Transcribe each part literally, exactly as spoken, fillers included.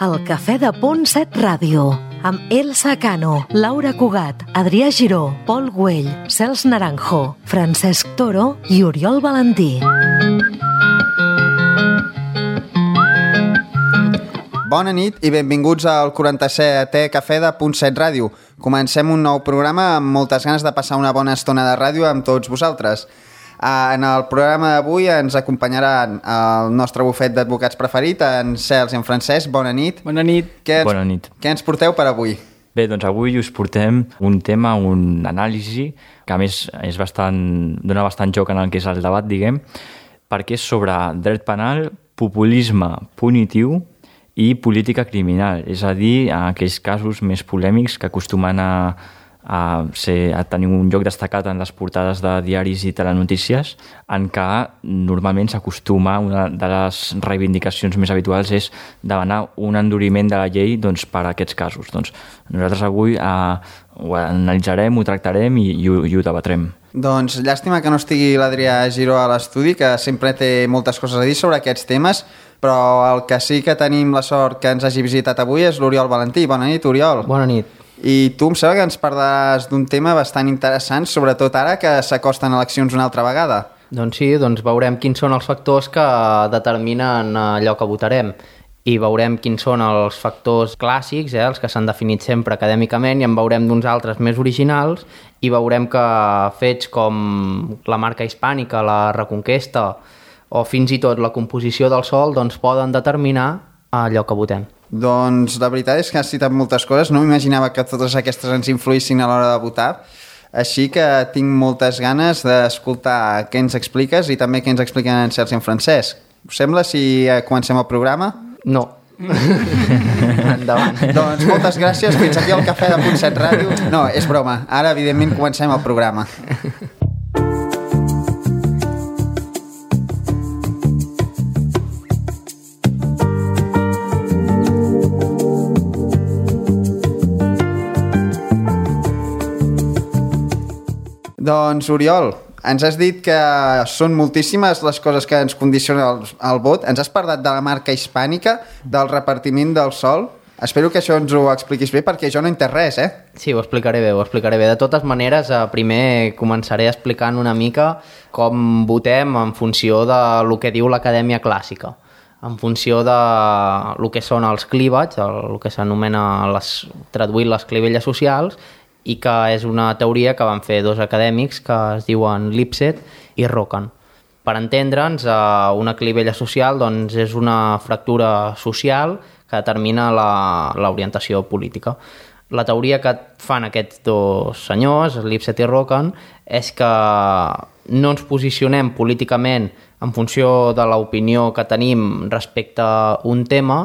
El Cafè de Punt set Ràdio, amb Elsa Cano, Laura Cugat, Adrià Giró, Pol Güell, Cels Naranjo, Francesc Toro i Oriol Valentí. Bona nit i benvinguts al quaranta-setè Cafè de Punt set Ràdio. Comencem un nou programa amb moltes ganes de passar una bona estona de ràdio amb tots vosaltres. En el programa d'avui ens acompanyaran el nostre bufet d'advocats preferit, en Cels i en Francesc. Bona nit. Bona nit. Què ens, Bona nit. Què ens porteu per avui? Bé, doncs avui us portem un tema, un anàlisi, que a més és bastant, dona bastant joc en el que és el debat, diguem, perquè és sobre dret penal, populisme punitiu i política criminal, és a dir, aquells casos més polèmics que acostumen a, a, ser, a tenir un lloc destacat en les portades de diaris i telenotícies, en què normalment s'acostuma, una de les reivindicacions més habituals és demanar un enduriment de la llei doncs, per a aquests casos. Doncs nosaltres avui eh, ho analitzarem, ho tractarem i, i, ho, i ho debatrem. Doncs llàstima que no estigui l'Adrià Giró a l'estudi, que sempre té moltes coses a dir sobre aquests temes, però el que sí que tenim la sort que ens hagi visitat avui és l'Oriol Valentí. Bona nit, Oriol. Bona nit. I tu em sembla que ens parlaràs d'un tema bastant interessant, sobretot ara que s'acosten eleccions una altra vegada. Doncs sí, doncs veurem quins són els factors que determinen allò que votarem i veurem quins són els factors clàssics, eh, els que s'han definit sempre acadèmicament, i en veurem d'uns altres més originals i veurem que fets com la marca hispànica, la Reconquesta o fins i tot la composició del sòl doncs poden determinar allò que votem. Doncs la veritat és que has citat moltes coses, no m'imaginava que totes aquestes ens influïssin a l'hora de votar, així que tinc moltes ganes d'escoltar què ens expliques i també què ens expliquen en Cels i en Francesc. Us sembla si comencem el programa? No. Endavant. Doncs moltes gràcies, fins aquí al Cafè de Punt set Ràdio. No, és broma, ara evidentment comencem el programa. Doncs, Oriol, ens has dit que són moltíssimes les coses que ens condicionen el, el vot. Ens has parlat de la marca hispànica, del repartiment del sòl. Espero que això ens ho expliquis bé, perquè jo no he entès res, eh? Sí, ho explicaré bé, ho explicaré bé. De totes maneres, primer començaré explicant una mica com votem en funció de lo que diu l'Acadèmia Clàssica, en funció de lo que són els clívats, el que s'anomena les, traduït les clivelles socials, i que és una teoria que van fer dos acadèmics que es diuen Lipset i Rokkan. Per entendre'ns, una clivella social doncs, és una fractura social que determina l'orientació política. La teoria que fan aquests dos senyors, Lipset i Rokkan, és que no ens posicionem políticament en funció de l'opinió que tenim respecte a un tema,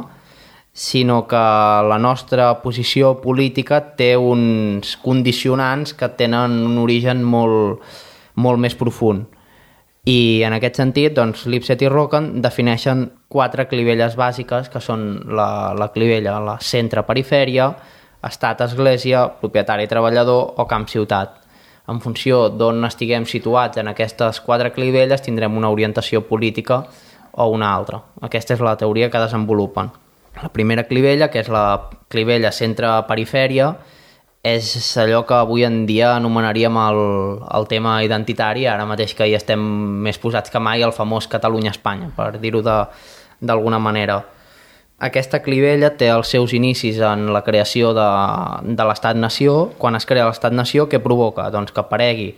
sinó que la nostra posició política té uns condicionants que tenen un origen molt, molt més profund. I en aquest sentit, doncs, Lipset i Rokkan defineixen quatre clivelles bàsiques, que són la, la clivella, la centre-perifèria, estat-església, propietari-treballador o camp-ciutat. En funció d'on estiguem situats en aquestes quatre clivelles tindrem una orientació política o una altra. Aquesta és la teoria que desenvolupen. La primera clivella, que és la clivella centre-perifèria, és allò que avui en dia anomenaríem el, el tema identitari, ara mateix que hi estem més posats que mai, el famós Catalunya-Espanya, per dir-ho d'alguna manera. Aquesta clivella té els seus inicis en la creació de, de l'Estat-nació. Quan es crea l'Estat-nació, què provoca? Doncs que aparegui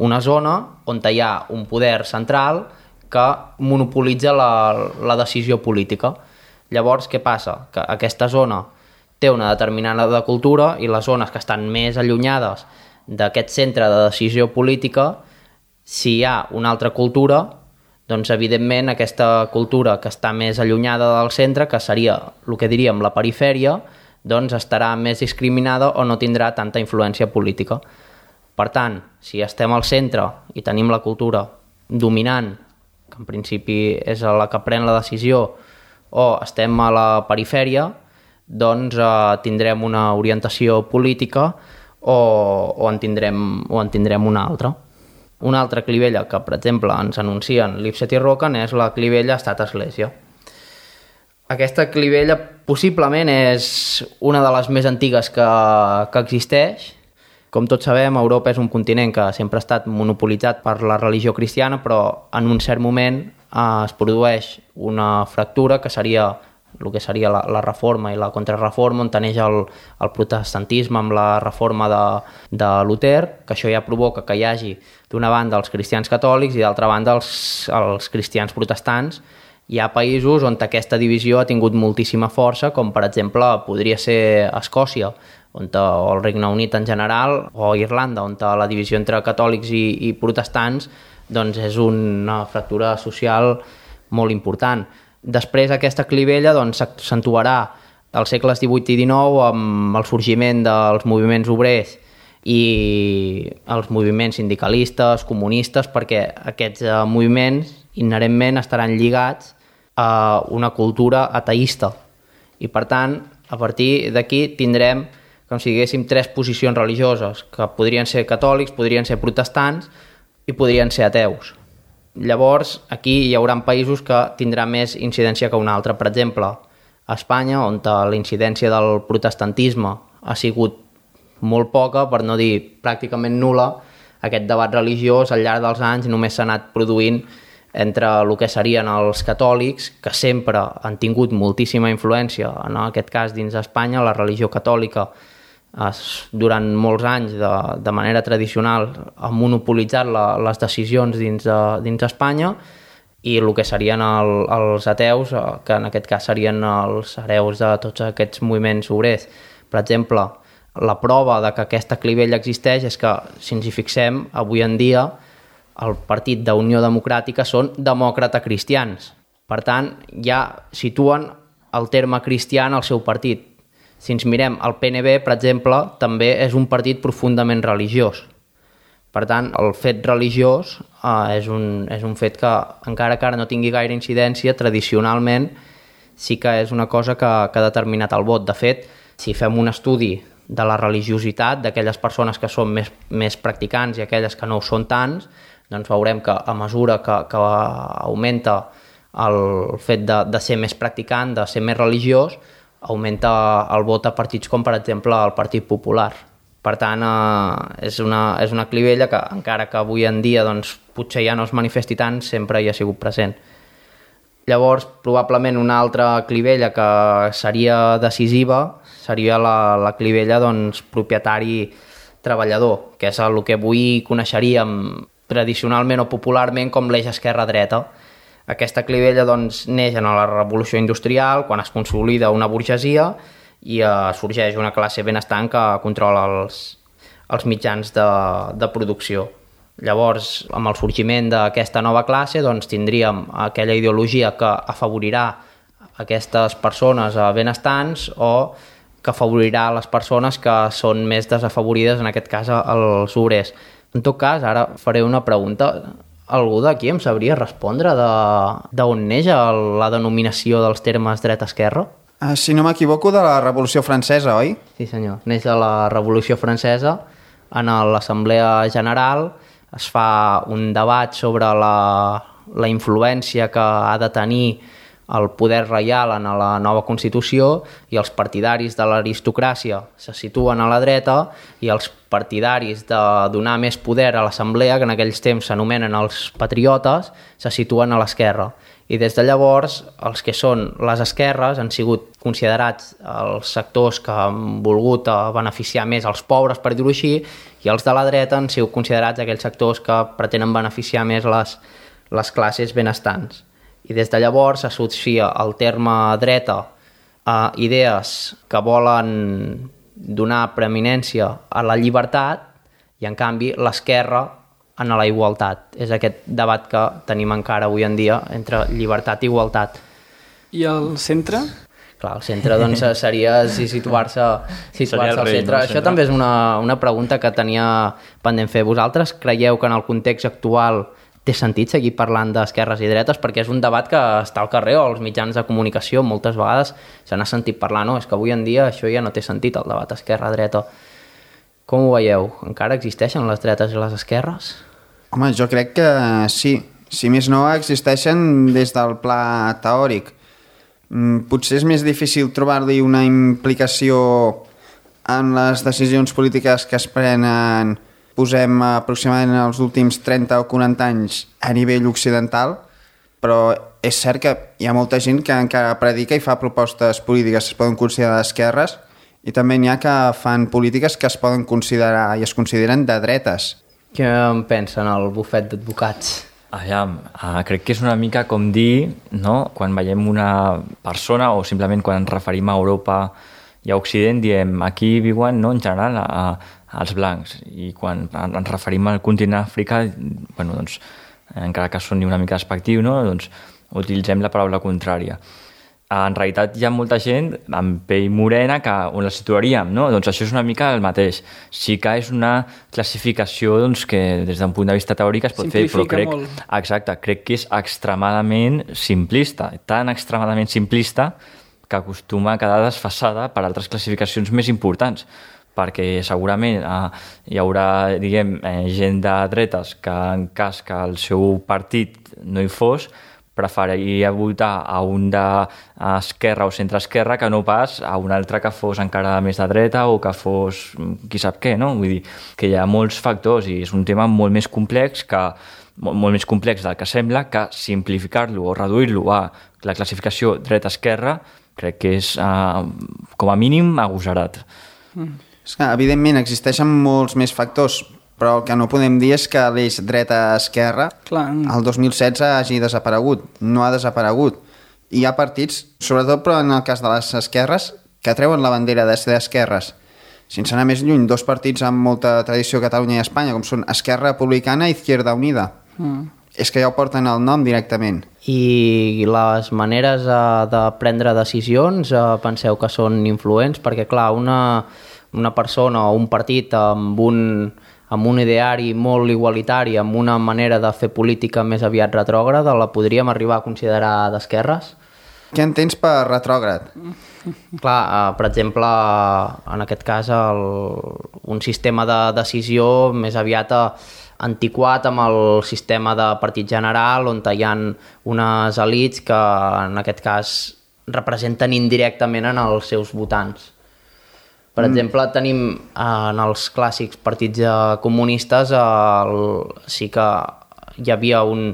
una zona on hi ha un poder central que monopolitza la, la decisió política. Llavors, què passa? Que aquesta zona té una determinada cultura i les zones que estan més allunyades d'aquest centre de decisió política, si hi ha una altra cultura, doncs evidentment aquesta cultura que està més allunyada del centre, que seria el que diríem la perifèria, doncs estarà més discriminada o no tindrà tanta influència política. Per tant, si estem al centre i tenim la cultura dominant, que en principi és la que pren la decisió, o estem a la perifèria, doncs eh, tindrem una orientació política o, o, en tindrem, o en tindrem una altra. Una altra clivella que, per exemple, ens anuncien Lipset i Rokkan és la clivella estat-església. Aquesta clivella possiblement és una de les més antigues que, que existeix. Com tots sabem, Europa és un continent que sempre ha estat monopolitzat per la religió cristiana, però en un cert moment eh, es produeix una fractura que seria el que seria la, la reforma i la contrarreforma, on neix el, el protestantisme amb la reforma de, de Luter, que això ja provoca que hi hagi d'una banda els cristians catòlics i d'altra banda els, els cristians protestants. Hi ha països on aquesta divisió ha tingut moltíssima força, com per exemple podria ser Escòcia, on, o el Regne Unit en general, o Irlanda, on la divisió entre catòlics i, i protestants doncs és una fractura social molt important. Després aquesta clivella doncs, s'accentuarà als segles divuit i dinou amb el sorgiment dels moviments obrers i els moviments sindicalistes, comunistes, perquè aquests eh, moviments inherentment estaran lligats a una cultura ateista. I per tant, a partir d'aquí tindrem com si diguéssim tres posicions religioses, que podrien ser catòlics, podrien ser protestants i podrien ser ateus. Llavors, aquí hi haurà països que tindrà més incidència que un altre. Per exemple, a Espanya, on la incidència del protestantisme ha sigut molt poca, per no dir pràcticament nul·la, aquest debat religiós al llarg dels anys només s'ha anat produint entre el que serien els catòlics, que sempre han tingut moltíssima influència, en aquest cas dins d'Espanya, la religió catòlica durant molts anys de, de manera tradicional ha monopolitzat la, les decisions dins, de, dins d'Espanya, i el que serien el, els ateus, que en aquest cas serien els hereus de tots aquests moviments obrers. Per exemple, la prova de que aquesta clivella existeix és que, si ens hi fixem, avui en dia el partit d'Unió Democràtica són demòcrata-cristians. Per tant, ja situen el terme cristià en el seu partit. Si ens mirem, el P N B, per exemple, també és un partit profundament religiós. Per tant, el fet religiós eh, és, un, és un fet que, encara que ara no tingui gaire incidència, tradicionalment sí que és una cosa que, que ha determinat el vot. De fet, si fem un estudi de la religiositat d'aquelles persones que són més, més practicants i aquelles que no ho són tants, doncs veurem que a mesura que, que augmenta el fet de, de ser més practicant, de ser més religiós, augmenta el vot a partits com, per exemple, el Partit Popular. Per tant, eh, és, una, és una clivella que, encara que avui en dia doncs, potser ja no es manifesti tant, sempre hi ha sigut present. Llavors, probablement una altra clivella que seria decisiva seria la, la clivella doncs, propietari-treballador, que és el que avui coneixeríem tradicionalment o popularment com l'eix esquerra-dreta. Aquesta clivella doncs, neix en la revolució industrial, quan es consolida una burgesia i eh, sorgeix una classe benestant que controla els, els mitjans de, de producció. Llavors, amb el sorgiment d'aquesta nova classe, doncs, tindríem aquella ideologia que afavorirà aquestes persones benestants o que afavorirà les persones que són més desafavorides, en aquest cas els obrers. En tot cas, ara faré una pregunta. Algú d'aquí em sabria respondre d'on neix la denominació dels termes dreta-esquerra? Uh, si no m'equivoco, de la Revolució Francesa, oi? Sí, senyor. Neix de la Revolució Francesa. En l'Assemblea General es fa un debat sobre la, la influència que ha de tenir el poder reial en la nova Constitució, i els partidaris de l'aristocràcia se situen a la dreta i els partidaris de donar més poder a l'Assemblea, que en aquells temps s'anomenen els patriotes, se situen a l'esquerra. I des de llavors els que són les esquerres han sigut considerats els sectors que han volgut beneficiar més els pobres, per dir-ho així, i els de la dreta han sigut considerats aquells sectors que pretenen beneficiar més les, les classes benestants. I des de llavors s'associa el terme dreta a idees que volen donar preeminència a la llibertat i, en canvi, l'esquerra a la igualtat. És aquest debat que tenim encara avui en dia entre llibertat i igualtat. I el centre? Clar, el centre doncs, seria situar-se situar al centre. No, Això també és una, una pregunta que tenia pendent fer. Vosaltres creieu que en el context actual té sentit seguir parlant d'esquerres i dretes? Perquè és un debat que està al carrer o als mitjans de comunicació. Moltes vegades se n'ha sentit parlar, no? És que avui en dia això ja no té sentit, el debat esquerra-dreta. Com ho veieu? Encara existeixen les dretes i les esquerres? Home, jo crec que sí. Si més no, existeixen des del pla teòric. potser és més difícil trobar-li una implicació en les decisions polítiques que es prenen, posem aproximadament els últims trenta o quaranta anys a nivell occidental, però és cert que hi ha molta gent que encara predica i fa propostes polítiques que es poden considerar d'esquerres, i també n'hi ha que fan polítiques que es poden considerar i es consideren de dretes. Què en pensen el bufet d'advocats? Aviam, uh, crec que és una mica com dir, no?, quan veiem una persona o simplement quan ens referim a Europa i a Occident, diem aquí viuen, no, en general, a, a, als blancs, i quan ens referim al continent africà, bueno, doncs, encara que soni una mica despectiu, no?, doncs utilitzem la paraula contrària. En realitat hi ha molta gent amb pell morena que on la situaríem, no? Doncs això és una mica el mateix. Sí que és una classificació doncs, que des d'un punt de vista teòric es pot fer, però crec, exacte, crec que és extremadament simplista, tan extremadament simplista que acostuma a quedar desfasada per altres classificacions més importants, perquè segurament eh, hi haurà, diguem, eh, gent de dretes que en cas que el seu partit no hi fos, preferiria votar a un d'esquerra o centre-esquerra que no pas a un altre que fos encara més de dreta o que fos qui sap què, no? Vull dir que hi ha molts factors i és un tema molt més complex que molt més complex del que sembla, que simplificar-lo o reduir-lo a la classificació dreta-esquerra crec que és, eh, com a mínim, agosarat. Mm. És que, evidentment, existeixen molts més factors, però el que no podem dir és que l'eix dreta-esquerra el dos mil setze hagi desaparegut. No ha desaparegut. Hi ha partits, sobretot però en el cas de les esquerres, que treuen la bandera de ser d'esquerres. Sense anar més lluny, dos partits amb molta tradició a Catalunya i a Espanya, com són Esquerra Republicana i Izquierda Unida. Mm. És que ja ho porten el nom directament. I les maneres eh, de prendre decisions eh, penseu que són influents? Perquè, clar, una, una persona o un partit amb un... amb un ideari molt igualitari, amb una manera de fer política més aviat retrògrada, la podríem arribar a considerar d'esquerres? Què entens per retrògrad? Clar, eh, per exemple, en aquest cas, el, un sistema de decisió més aviat antiquat amb el sistema de partit general, on hi ha unes elits que, en aquest cas, representen indirectament en els seus votants. Per exemple, tenim eh, en els clàssics partits eh, comunistes eh, el, sí que hi havia un,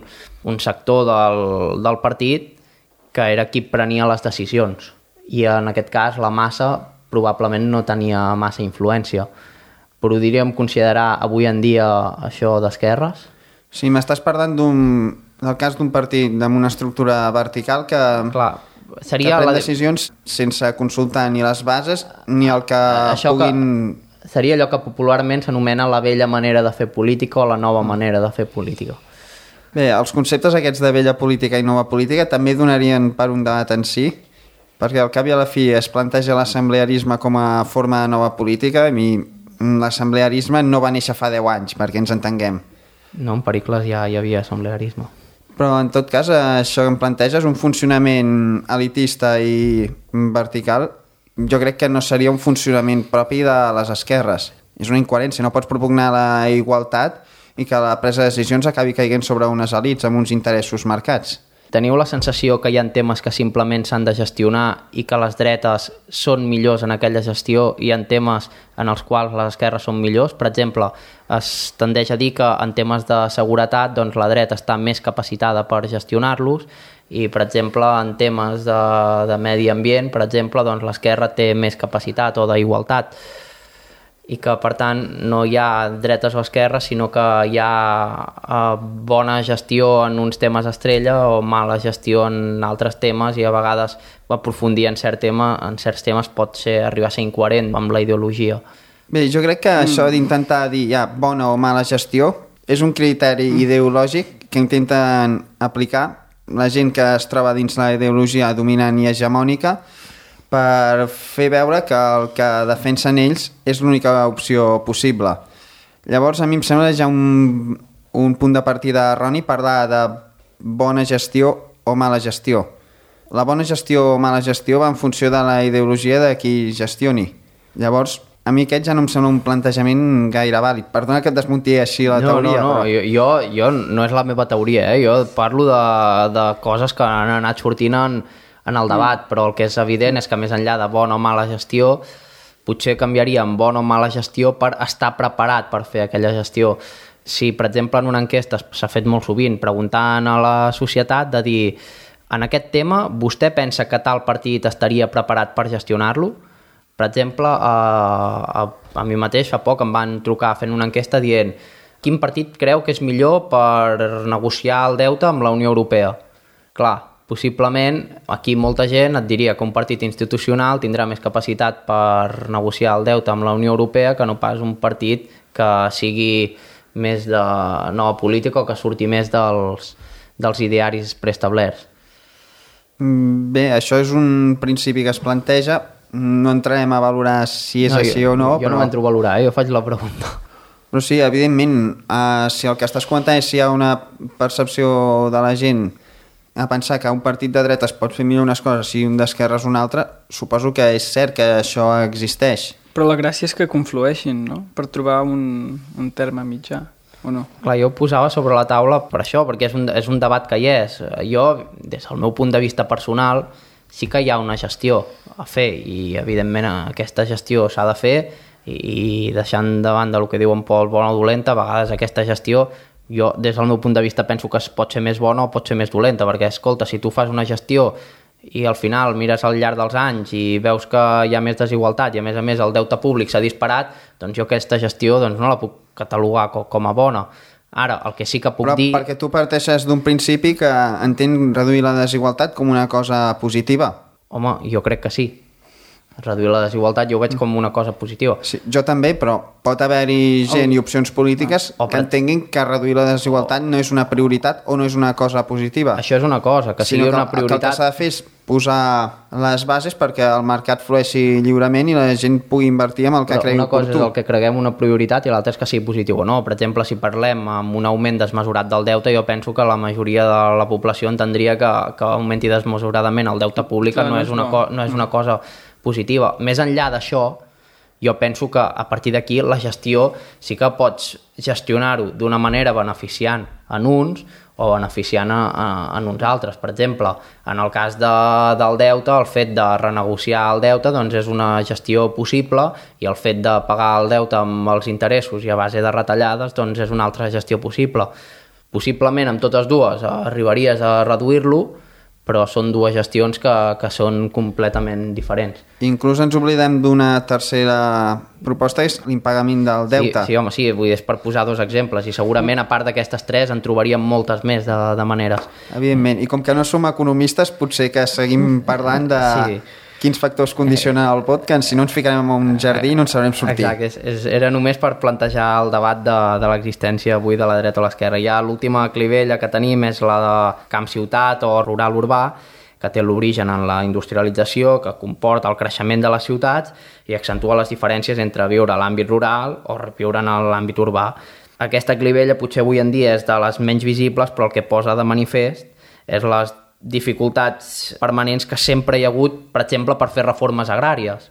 un sector del, del partit que era qui prenia les decisions i en aquest cas la massa probablement no tenia massa influència. Podríem considerar avui en dia això d'esquerres? Sí, m'estàs parlant d'un, del cas d'un partit amb una estructura vertical que... Clar, seria que pren la... decisions sense consultar ni les bases ni el que això puguin... Que seria allò que popularment s'anomena la vella manera de fer política o la nova manera de fer política. Bé, els conceptes aquests de vella política i nova política també donarien per un debat en si, perquè al cap i a la fi es planteja l'assemblearisme com a forma de nova política i l'assemblearisme no va néixer fa deu anys, perquè ens entenguem. No, en Pericles ja hi havia assemblearisme. Però en tot cas això que em planteja és un funcionament elitista i vertical. Jo crec que no seria un funcionament propi de les esquerres. És una incoherència, no pots propugnar la igualtat i que la presa de decisions acabi caiguent sobre unes elits amb uns interessos marcats. Teniu la sensació que hi ha temes que simplement s'han de gestionar i que les dretes són millors en aquella gestió i en temes en els quals les esquerres són millors? Per exemple, es tendeix a dir que en temes de seguretat doncs, la dreta està més capacitada per gestionar-los i, per exemple, en temes de, de medi ambient, per exemple, doncs, l'esquerra té més capacitat o d'igualtat i que, per tant, no hi ha dretes o esquerres, sinó que hi ha eh, bona gestió en uns temes estrella o mala gestió en altres temes i a vegades aprofundir en, cert tema, en certs temes pot ser, arribar a ser incoherent amb la ideologia. Bé, jo crec que mm. això d'intentar dir ja, bona o mala gestió és un criteri mm. ideològic que intenten aplicar la gent que es troba dins la ideologia dominant i hegemònica per fer veure que el que defensen ells és l'única opció possible. Llavors, a mi em sembla ja un, un punt de partida erroni parlar de bona gestió o mala gestió. La bona gestió o mala gestió va en funció de la ideologia de qui gestioni. Llavors, a mi aquest ja no em sembla un plantejament gaire vàlid. Perdona que et desmunti així la no, teoria. No, no, però... jo, jo no és la meva teoria, eh? Jo parlo de, de coses que han anat sortint en, en el debat, mm. però el que és evident és que més enllà de bona o mala gestió, potser canviaria en bona o mala gestió per estar preparat per fer aquella gestió. Si, per exemple, en una enquesta s'ha fet molt sovint, preguntant a la societat de dir en aquest tema, vostè pensa que tal partit estaria preparat per gestionar-lo? Per exemple, a, a, a mi mateix fa poc em van trucar fent una enquesta dient quin partit creu que és millor per negociar el deute amb la Unió Europea? Clar, possiblement aquí molta gent et diria que un partit institucional tindrà més capacitat per negociar el deute amb la Unió Europea que no pas un partit que sigui més de nova política o que surti més dels, dels idearis preestablerts. Bé, això és un principi que es planteja. No entrarem a valorar si és no, així jo, o no. Jo però... no m'entro a valorar, eh? Jo faig la pregunta. Però sí, evidentment, uh, si el que estàs comentant és si hi ha una percepció de la gent a pensar que un partit de dretes pot fer millor unes coses i un d'esquerres una altra, suposo que és cert que això existeix. Però la gràcia és que conflueixin, no? Per trobar un, un terme mitjà, o no? Clar, jo ho posava sobre la taula per això, perquè és un, és un debat que hi és. Jo, des del meu punt de vista personal, sí que hi ha una gestió a fer i, evidentment, aquesta gestió s'ha de fer i, i deixant de banda el que diu en Pol, bona o dolenta, a vegades aquesta gestió jo, des del meu punt de vista, penso que pot ser més bona o pot ser més dolenta, perquè, escolta, si tu fas una gestió i al final mires al llarg dels anys i veus que hi ha més desigualtat i, a més a més, el deute públic s'ha disparat, doncs jo aquesta gestió doncs, no la puc catalogar com a bona. Ara, el que sí que puc Però dir... Però perquè tu parteixes d'un principi que entén reduir la desigualtat com una cosa positiva. Home, jo crec que sí. Reduir la desigualtat jo ho veig com una cosa positiva. Sí, jo també, però pot haver-hi gent oh. i opcions polítiques oh. que entenguin que reduir la desigualtat oh. no és una prioritat o no és una cosa positiva. Això és una cosa, que sigui una prioritat... El que s'ha de fer és posar les bases perquè el mercat flueixi lliurement i la gent pugui invertir en el que cregui oportú. Una cosa és el que creguem una prioritat i l'altra és que sigui positiu o no. Per exemple, si parlem amb un augment desmesurat del deute, jo penso que la majoria de la població entendria que, que augmenti desmesuradament el deute públic no, no, és una co- no és una cosa positiva. Més enllà d'això, jo penso que a partir d'aquí la gestió sí que pots gestionar-ho d'una manera beneficiant en uns o beneficiant a, a, en uns altres. Per exemple, en el cas de, del deute, el fet de renegociar el deute doncs és una gestió possible i el fet de pagar el deute amb els interessos i a base de retallades doncs és una altra gestió possible. Possiblement amb totes dues arribaries a reduir-lo, però són dues gestions que, que són completament diferents. Inclús ens oblidem d'una tercera proposta, és l'impagament del deute. Sí, sí, home, sí, vull dir, és per posar dos exemples, i segurament, a part d'aquestes tres, en trobaríem moltes més de, de maneres. Evidentment, i com que no som economistes, potser que seguim parlant de... Sí. Quins factors condicionen el vot, que si no ens ficarem en un jardí no ens sabrem sortir. Exacte, és, és, era només per plantejar el debat de, de l'existència avui de la dreta o l'esquerra. Ja l'última clivella que tenim és la de camp-ciutat o rural-urbà, que té l'origen en la industrialització, que comporta el creixement de les ciutats i accentua les diferències entre viure a l'àmbit rural o viure en l'àmbit urbà. Aquesta clivella potser avui en dia és de les menys visibles, però el que posa de manifest és les dificultats permanents que sempre hi ha hagut, per exemple, per fer reformes agràries.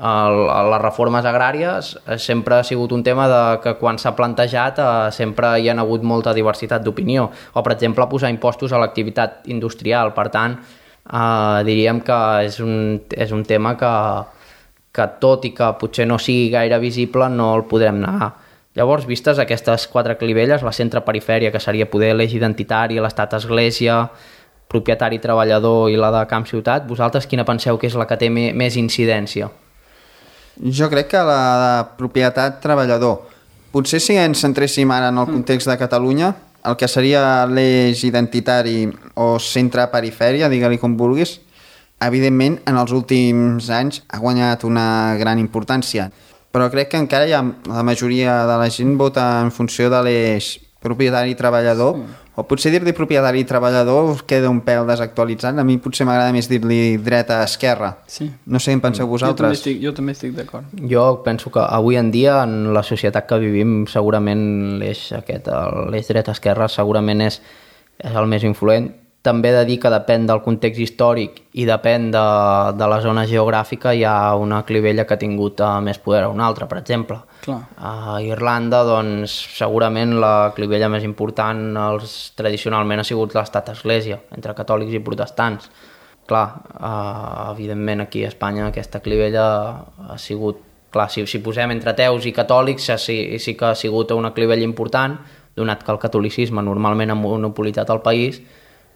El, les reformes agràries sempre ha sigut un tema de que quan s'ha plantejat eh, sempre hi ha hagut molta diversitat d'opinió. O, per exemple, posar impostos a l'activitat industrial. Per tant, eh, diríem que és un, és un tema que, que, tot i que potser no sigui gaire visible, no el podrem negar. Llavors, vistes aquestes quatre clivelles, la centre-perifèria, que seria poder l'eix identitari, l'estat-església, propietari treballador i la de camp ciutat, vosaltres quina penseu que és la que té més incidència? Jo crec que la de propietat treballador. Potser si ens centréssim ara en el context de Catalunya, el que seria l'eix identitari o centre-perifèria, digue-li com vulguis, evidentment en els últims anys ha guanyat una gran importància. Però crec que encara hi ha, la majoria de la gent vota en funció de l'eix propietari-treballador, mm. o potser dir-li propietari-treballador queda un pèl desactualitzat. A mi potser m'agrada més dir-li dreta-esquerra. Sí. No sé què en penseu vosaltres. Jo també estic, jo també estic d'acord. Jo penso que avui en dia, en la societat que vivim, segurament l'eix aquest, l'eix dreta-esquerra, segurament és, és el més influent. També he de dir que depèn del context històric i depèn de, de la zona geogràfica, hi ha una clivella que ha tingut uh, més poder a una altra, per exemple. Clar. A Irlanda, doncs, segurament la clivella més important els, tradicionalment ha sigut l'estat-església, entre catòlics i protestants. clar, uh, evidentment aquí a Espanya aquesta clivella ha sigut, clar, si, si posem entre ateus i catòlics sí, sí que ha sigut una clivella important, donat que el catolicisme normalment ha monopolitzat el país,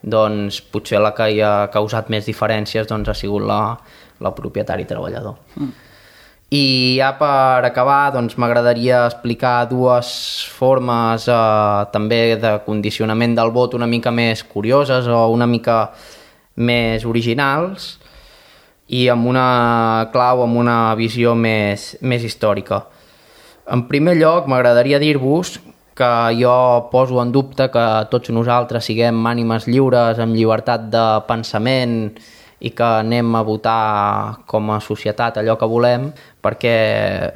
doncs potser la que hi ha causat més diferències doncs, ha sigut la, la propietari treballador. Mm. I ja per acabar doncs, m'agradaria explicar dues formes eh, també de condicionament del vot una mica més curioses o una mica més originals i amb una clau, amb una visió més, més històrica. En primer lloc, m'agradaria dir-vos que jo poso en dubte que tots nosaltres siguem ànimes lliures, amb llibertat de pensament i que anem a votar com a societat allò que volem, perquè,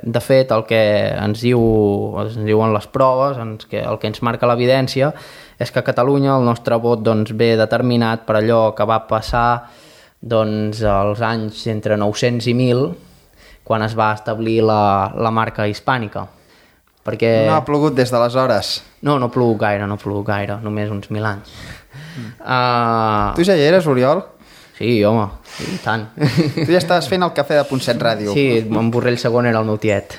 de fet, el que ens, diu, ens diuen les proves, ens, que, el que ens marca l'evidència, és que a Catalunya el nostre vot doncs, ve determinat per allò que va passar doncs, als anys entre nou-cents i mil, quan es va establir la, la marca hispànica. Perquè... No ha plogut des d'aleshores. No, no ha plogut gaire, no ha plogut gaire, només uns mil anys. Mm. Uh... Tu ja hi eres, Oriol? Sí, home, i tant. Tu ja estaves fent el cafè de Punt set Ràdio. Sí, en Borrell segon era el meu tiet.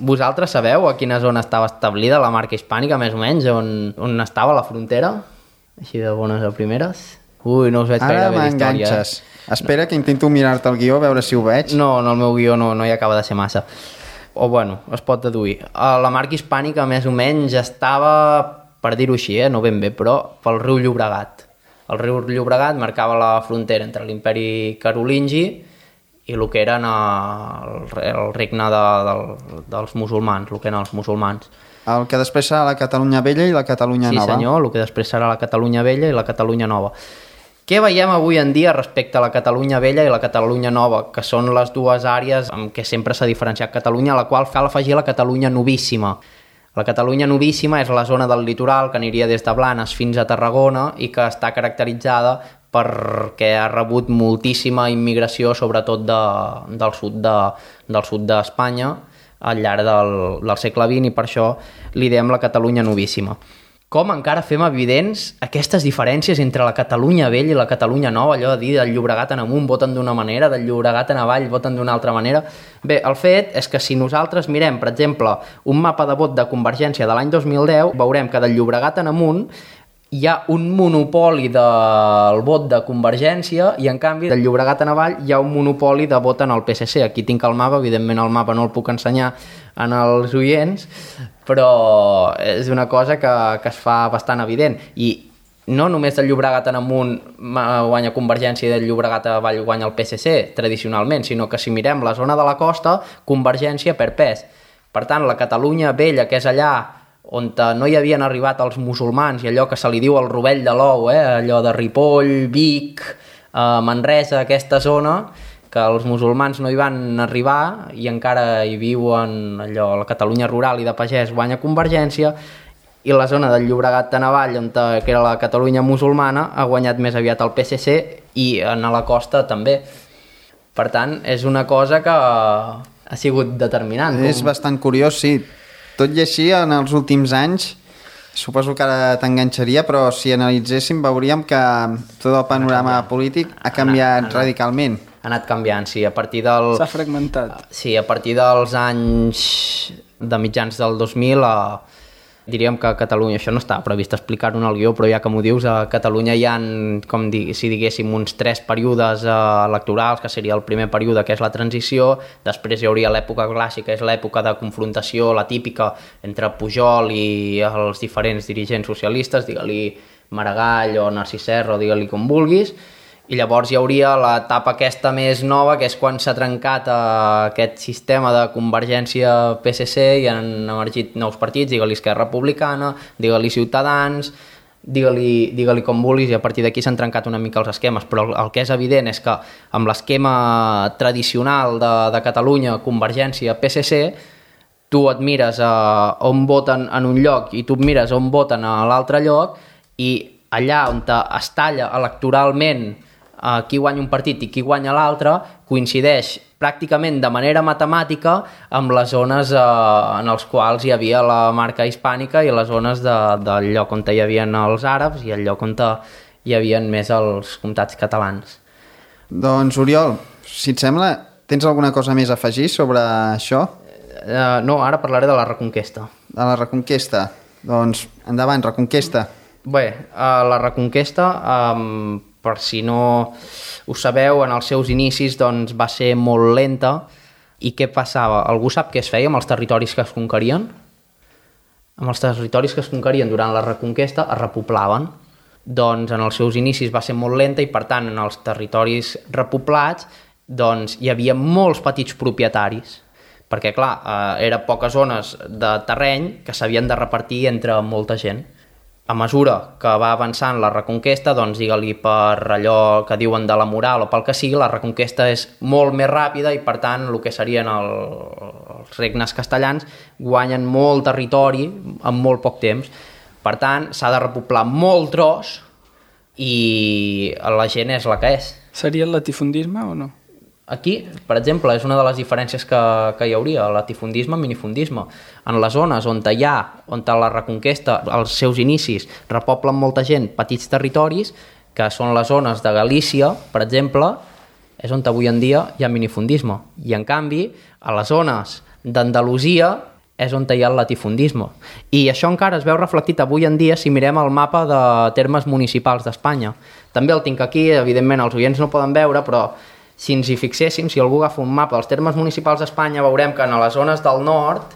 Vosaltres sabeu a quina zona estava establida la marca hispànica, més o menys, on, on estava la frontera? Així de bones a primeres? Ui, no us veig gaire bé d'història. Ara m'enganxes. Espera que intento mirar-te el guió, a veure si ho veig. No, en el meu guió no, no hi acaba de ser massa. O bueno, es pot deduir. La marca hispànica més o menys estava, per dir-ho així, eh, no ben bé, però pel riu Llobregat. El riu Llobregat marcava la frontera entre l'imperi carolingi i el que eren el, el regne de, de, dels musulmans, el que eren els musulmans. El que després serà la Catalunya Vella i la Catalunya sí, Nova. Sí senyor, el que després serà la Catalunya Vella i la Catalunya Nova. Què veiem avui en dia respecte a la Catalunya Vella i la Catalunya Nova, que són les dues àrees amb què sempre s'ha diferenciat Catalunya, a la qual cal afegir la Catalunya Novíssima. La Catalunya Novíssima és la zona del litoral que aniria des de Blanes fins a Tarragona i que està caracteritzada perquè ha rebut moltíssima immigració, sobretot de, del sud de, del sud d'Espanya al llarg del, del segle vint, i per això li diem la Catalunya Novíssima. Com encara fem evidents aquestes diferències entre la Catalunya Vella i la Catalunya Nova, allò de dir del Llobregat en amunt voten d'una manera, del Llobregat en avall voten d'una altra manera. Bé, el fet és que si nosaltres mirem, per exemple, un mapa de vot de Convergència de l'any dos mil deu, veurem que del Llobregat en amunt hi ha un monopoli del vot de Convergència i, en canvi, del Llobregat en avall hi ha un monopoli de vot en el P S C. Aquí tinc el mapa, evidentment el mapa no el puc ensenyar en els oients, però és una cosa que, que es fa bastant evident. I no només del Llobregat en amunt guanya Convergència i del Llobregat en avall guanya el P S C, tradicionalment, sinó que si mirem la zona de la costa, Convergència perd pes. Per tant, la Catalunya Vella, que és allà on no hi havien arribat els musulmans i allò que se li diu el rovell de l'ou, eh? Allò de Ripoll, Vic, eh, Manresa, aquesta zona, que els musulmans no hi van arribar i encara hi viuen allò, la Catalunya rural i de pagès guanya Convergència, i la zona del Llobregat de Navall, on, que era la Catalunya musulmana, ha guanyat més aviat el P S C i a la costa també. Per tant, és una cosa que ha sigut determinant. És com... bastant curiós, sí. Tot i així, en els últims anys, suposo que ara t'enganxaria, però si analitzéssim veuríem que tot el panorama polític ha canviat ha anat, radicalment. Ha anat canviant, sí, a partir del... S'ha fragmentat. Sí, a partir dels anys de mitjans del dos mil, a... diríem que a Catalunya, això no estava previst explicar-ho en el guió, però ja que m'ho dius, a Catalunya hi ha, com di, si diguéssim, uns tres períodes eh, electorals, que seria el primer període, que és la transició, després hi hauria l'època clàssica, que és l'època de confrontació, la típica, entre Pujol i els diferents dirigents socialistes, digue-li Maragall o Narcís Serra, o digue-li com vulguis, i llavors hi hauria l'etapa aquesta més nova, que és quan s'ha trencat eh, aquest sistema de Convergència P S C i han emergit nous partits, digue-li Esquerra Republicana, digue-li Ciutadans, digue-li digue-li com vulguis, i a partir d'aquí s'han trencat una mica els esquemes, però el, el que és evident és que amb l'esquema tradicional de, de Catalunya, Convergència P S C, tu et mires a on voten en un lloc i tu et mires on voten a l'altre lloc, i allà on es talla electoralment qui guanya un partit i qui guanya l'altre coincideix pràcticament de manera matemàtica amb les zones eh, en els quals hi havia la marca hispànica i les zones de, del lloc on hi havia els àrabs i el lloc on hi havia més els comtats catalans. Doncs, Oriol, si et sembla, tens alguna cosa més a afegir sobre això? Uh, no, ara parlaré de la Reconquesta. De la Reconquesta. Doncs, endavant, Reconquesta. Bé, uh, la Reconquesta, um, per si no ho sabeu, en els seus inicis doncs, va ser molt lenta. I què passava? Algú sap què es feia amb els territoris que es conquerien? Amb els territoris que es conquerien durant la Reconquesta es repoblaven. Doncs en els seus inicis va ser molt lenta i per tant en els territoris repoblats doncs, hi havia molts petits propietaris perquè clar, eh, eren poques zones de terreny que s'havien de repartir entre molta gent. A mesura que va avançant la Reconquesta, doncs digue-li per allò que diuen de la moral o pel que sigui, la Reconquesta és molt més ràpida i per tant el que serien el, els regnes castellans guanyen molt territori en molt poc temps. Per tant, s'ha de repoblar molt tros i la gent és la que és. Seria el latifundisme o no? Aquí, per exemple, és una de les diferències que, que hi hauria, latifundisme, minifundisme. En les zones on hi ha, on la Reconquesta, als seus inicis, repoblen molta gent petits territoris, que són les zones de Galícia, per exemple, és on avui en dia hi ha minifundisme. I, en canvi, a les zones d'Andalusia és on hi ha el latifundisme. I això encara es veu reflectit avui en dia si mirem el mapa de termes municipals d'Espanya. També el tinc aquí, evidentment els oients no poden veure, però si ens hi fixéssim, si algú agafa un mapa dels termes municipals d'Espanya, veurem que a les zones del nord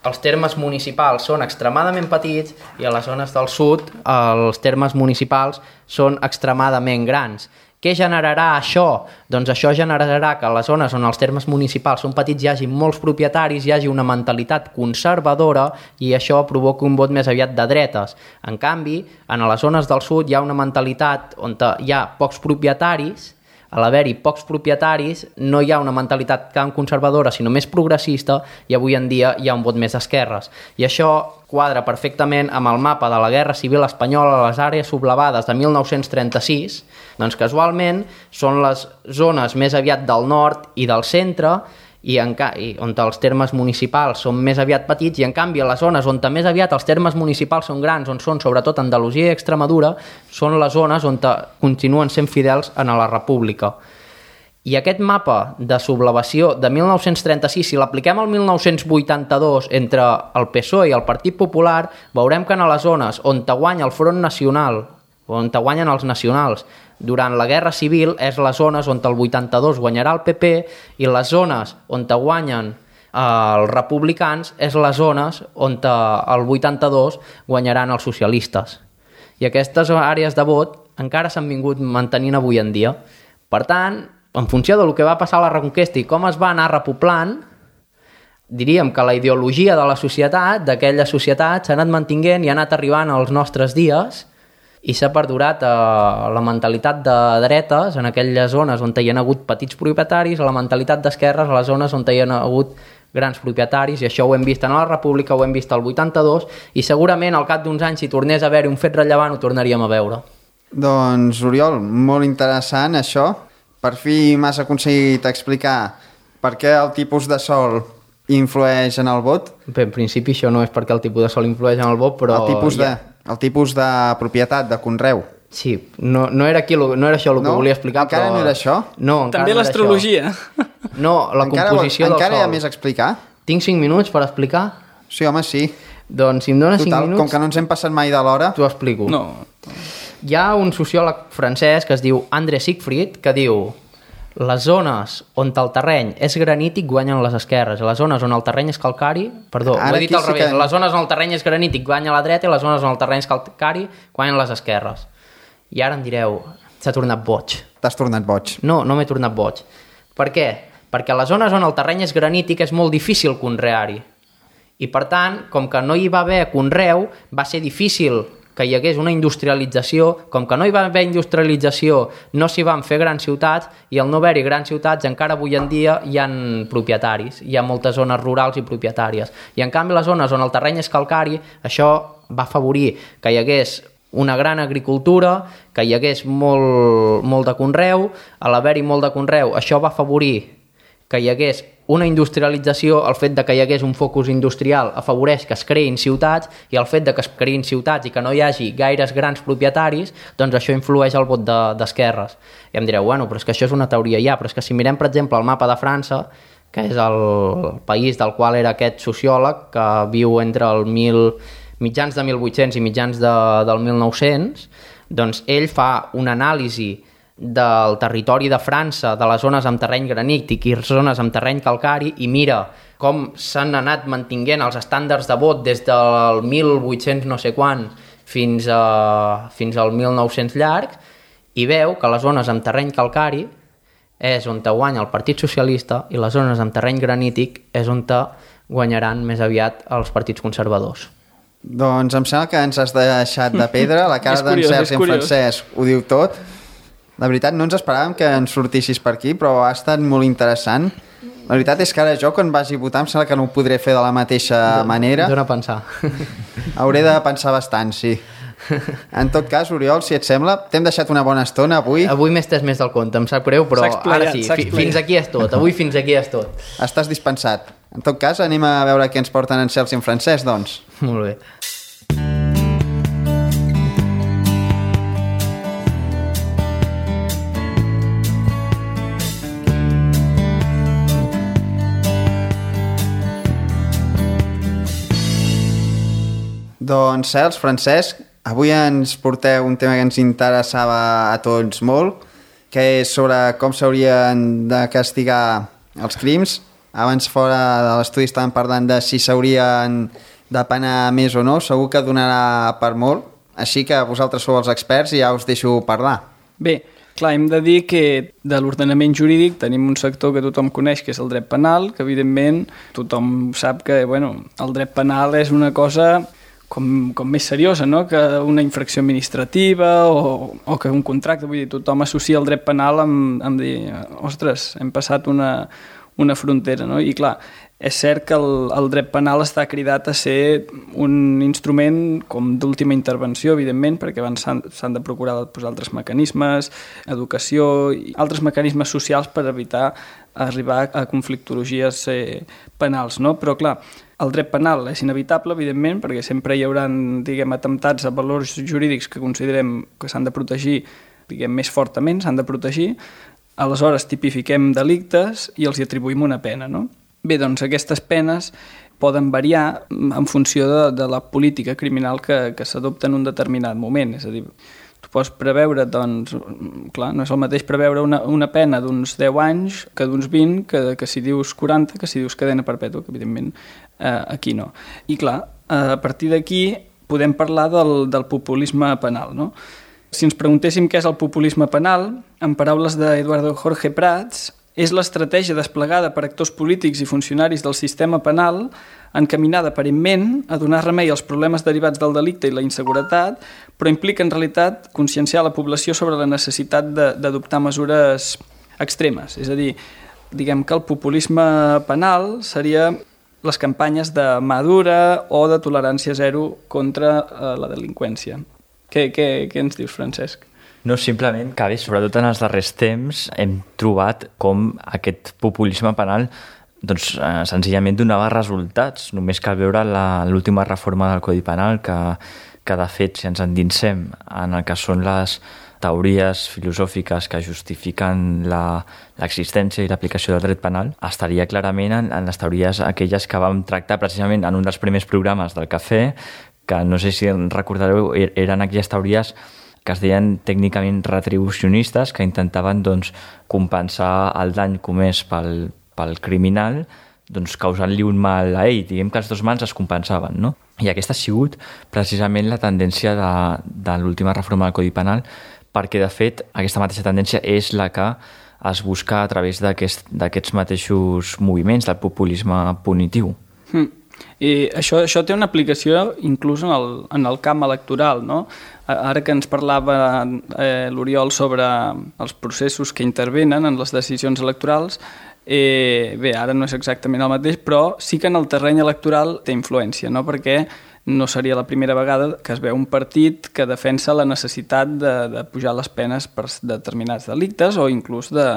els termes municipals són extremadament petits i a les zones del sud els termes municipals són extremadament grans. Què generarà això? Doncs això generarà que a les zones on els termes municipals són petits hi hagi molts propietaris, hi hagi una mentalitat conservadora i això provoca un vot més aviat de dretes. En canvi, en les zones del sud hi ha una mentalitat on hi ha pocs propietaris. A l'haver-hi pocs propietaris no hi ha una mentalitat tan conservadora sinó més progressista i avui en dia hi ha un vot més d'esquerres. I això quadra perfectament amb el mapa de la Guerra Civil Espanyola a les àrees sublevades de mil nou-cents trenta-sis, doncs casualment són les zones més aviat del nord i del centre i, en ca... i on els termes municipals són més aviat petits i en canvi a les zones on més aviat els termes municipals són grans, on són sobretot Andalusia i Extremadura, són les zones on continuen sent fidels a la República. I aquest mapa de sublevació de mil nou-cents trenta-sis, si l'apliquem al mil nou-cents vuitanta-dos entre el P S O E i el Partit Popular, veurem que en les zones on guanya el Front Nacional, on guanyen els nacionals, durant la Guerra Civil és les zones on el vuitanta-dos guanyarà el P P i les zones on guanyen els republicans és les zones on el vuitanta-dos guanyaran els socialistes. I aquestes àrees de vot encara s'han vingut mantenint avui en dia. Per tant, en funció del que va passar a la Reconquesta i com es va anar repoblant, diríem que la ideologia de la societat, d'aquella societat, s'ha anat mantinguent i ha anat arribant als nostres dies i s'ha perdurat a la mentalitat de dretes en aquelles zones on hi ha hagut petits propietaris, a la mentalitat d'esquerres a les zones on hi ha hagut grans propietaris, i això ho hem vist en la República, ho hem vist al vuitanta-dos, i segurament al cap d'uns anys, si tornés a haver-hi un fet rellevant, ho tornaríem a veure. Doncs, Oriol, molt interessant això. Per fi m'has aconseguit explicar per què el tipus de sòl influeix en el vot. Bé, en principi això no és perquè el tipus de sòl influeix en el vot, però... El tipus de, el tipus de propietat, de conreu. Sí, no, no era, aquí, no era això el que no? volia explicar, encara però... no era això? No, encara També no l'astrologia. No, la encara, composició del encara sòl. Encara hi ha més a explicar? Tinc cinc minuts per explicar? Sí, home, sí. Doncs si em dones Total, cinc minuts... com que no ens hem passat mai de l'hora... T'ho explico. No. Hi ha un sociòleg francès que es diu André Siegfried que diu: les zones on el terreny és granític guanyen les esquerres, les zones on el terreny és calcari, perdó, Ara ho he dit al sí revés, que... les zones on el terreny és granític guanya la dreta i les zones on el terreny és calcari guanyen les esquerres. I ara em direu, s'ha tornat boig. T'has tornat boig. No, no m'he tornat boig. Per què? Perquè a les zones on el terreny és granític és molt difícil conrear-hi. I per tant, com que no hi va haver conreu, va ser difícil que hi hagués una industrialització. Com que no hi va haver industrialització, no s'hi van fer grans ciutats, i al no haver-hi grans ciutats encara avui en dia hi ha propietaris, hi ha moltes zones rurals i propietàries. I en canvi les zones on el terreny és calcari, això va afavorir que hi hagués una gran agricultura, que hi hagués molt, molt de conreu. A l'haver-hi molt de conreu, això va afavorir que hi hagués una industrialització, el fet de que hi hagués un focus industrial afavoreix que es creïn ciutats, i el fet de que es creïn ciutats i que no hi hagi gaires grans propietaris, doncs això influeix al vot de, d'esquerres. I em direu, bueno, però és que això és una teoria ja, però és que si mirem, per exemple, el mapa de França, que és el país del qual era aquest sociòleg, que viu entre el mil, mitjans de mil vuit-cents i mitjans de, del mil nou-cents, doncs ell fa una anàlisi del territori de França, de les zones amb terreny granític i zones amb terreny calcari, i mira com s'han anat mantinguent els estàndards de vot des del mil vuit-cents no sé quan fins, a, fins al mil nou-cents llarg, i veu que les zones amb terreny calcari és on te guanya el Partit Socialista i les zones amb terreny granític és on te guanyaran més aviat els partits conservadors. Doncs em sembla que ens has deixat de pedra, la cara d'en Sergi i en Francesc ho diu tot. La veritat, no ens esperàvem que ens sortissis per aquí, però ha estat molt interessant. La veritat és que ara jo, quan vagi a votar, em sembla que no ho podré fer de la mateixa manera. Dóna a pensar. Hauré de pensar bastant, sí. En tot cas, Oriol, si et sembla, t'hem deixat una bona estona avui. Avui m'he estès més del compte, em sap greu, però ara sí, fins aquí és tot. Avui fins aquí és tot. Estàs dispensat. En tot cas, anem a veure què ens porten en Sergi i en Francesc, doncs. Molt bé. Doncs, Cels, Francesc, avui ens porteu un tema que ens interessava a tots molt, que és sobre com s'haurien de castigar els crims. Abans, fora de l'estudi, estàvem parlant de si s'haurien de penar més o no. Segur que donarà per molt, així que vosaltres sou els experts i ja us deixo parlar. Bé, clar, hem de dir que de l'ordenament jurídic tenim un sector que tothom coneix, que és el dret penal, que evidentment tothom sap que bueno, el dret penal és una cosa com, com més seriosa, no?, que una infracció administrativa o, o que un contracte. Vull dir, tothom associa el dret penal amb, amb dir, ostres, hem passat una, una frontera, no? I clar, és cert que el, el dret penal està cridat a ser un instrument com d'última intervenció, evidentment, perquè abans s'han de procurar posar altres mecanismes, educació i altres mecanismes socials per evitar arribar a conflictologies eh, penals, no? Però clar, el dret penal és inevitable, evidentment, perquè sempre hi haurà, diguem, atemptats a valors jurídics que considerem que s'han de protegir, diguem, més fortament, s'han de protegir. Aleshores tipifiquem delictes i els hi atribuïm una pena, no? Bé, doncs aquestes penes poden variar en funció de, de la política criminal que, que s'adopta en un determinat moment. És a dir, tu pots preveure, doncs, clar, no és el mateix preveure una, una pena d'uns deu anys que d'uns vint, que, que si dius quaranta, que si dius cadena perpètua, que evidentment eh, aquí no. I clar, a partir d'aquí podem parlar del, del populisme penal, no? Si ens preguntéssim què és el populisme penal, en paraules d'Eduardo Jorge Prats, és l'estratègia desplegada per actors polítics i funcionaris del sistema penal encaminada aparentment a donar remei als problemes derivats del delicte i la inseguretat, però implica en realitat conscienciar la població sobre la necessitat d'adoptar mesures extremes. És a dir, diguem que el populisme penal seria les campanyes de mà dura o de tolerància zero contra eh, la delinqüència. Què, què, què ens dius, Francesc? No, simplement que bé, sobretot en els darrers temps hem trobat com aquest populisme penal doncs, eh, senzillament donava resultats. Només cal veure l'última reforma del Codi Penal que, que de fet, si ens endinsem en el que són les teories filosòfiques que justifiquen l'existència i l'aplicació del dret penal, estaria clarament en, en les teories aquelles que vam tractar precisament en un dels primers programes del Cafè, que no sé si recordareu, eren aquelles teories que es deien tècnicament retribucionistes, que intentaven doncs, compensar el dany comès pel, pel criminal, doncs, causant-li un mal a ell. Diguem que els dos mals es compensaven, no? I aquesta ha sigut precisament la tendència de, de l'última reforma del Codi Penal, perquè, de fet, aquesta mateixa tendència és la que es busca a través d'aquests aquest, mateixos moviments del populisme punitiu. Mm. I això, això té una aplicació inclús en el, en el camp electoral, no? Ara que ens parlava eh, l'Oriol sobre els processos que intervenen en les decisions electorals, eh, bé, ara no és exactament el mateix, però sí que en el terreny electoral té influència, no? Perquè no seria la primera vegada que es veu un partit que defensa la necessitat de, de pujar les penes per determinats delictes o inclús de,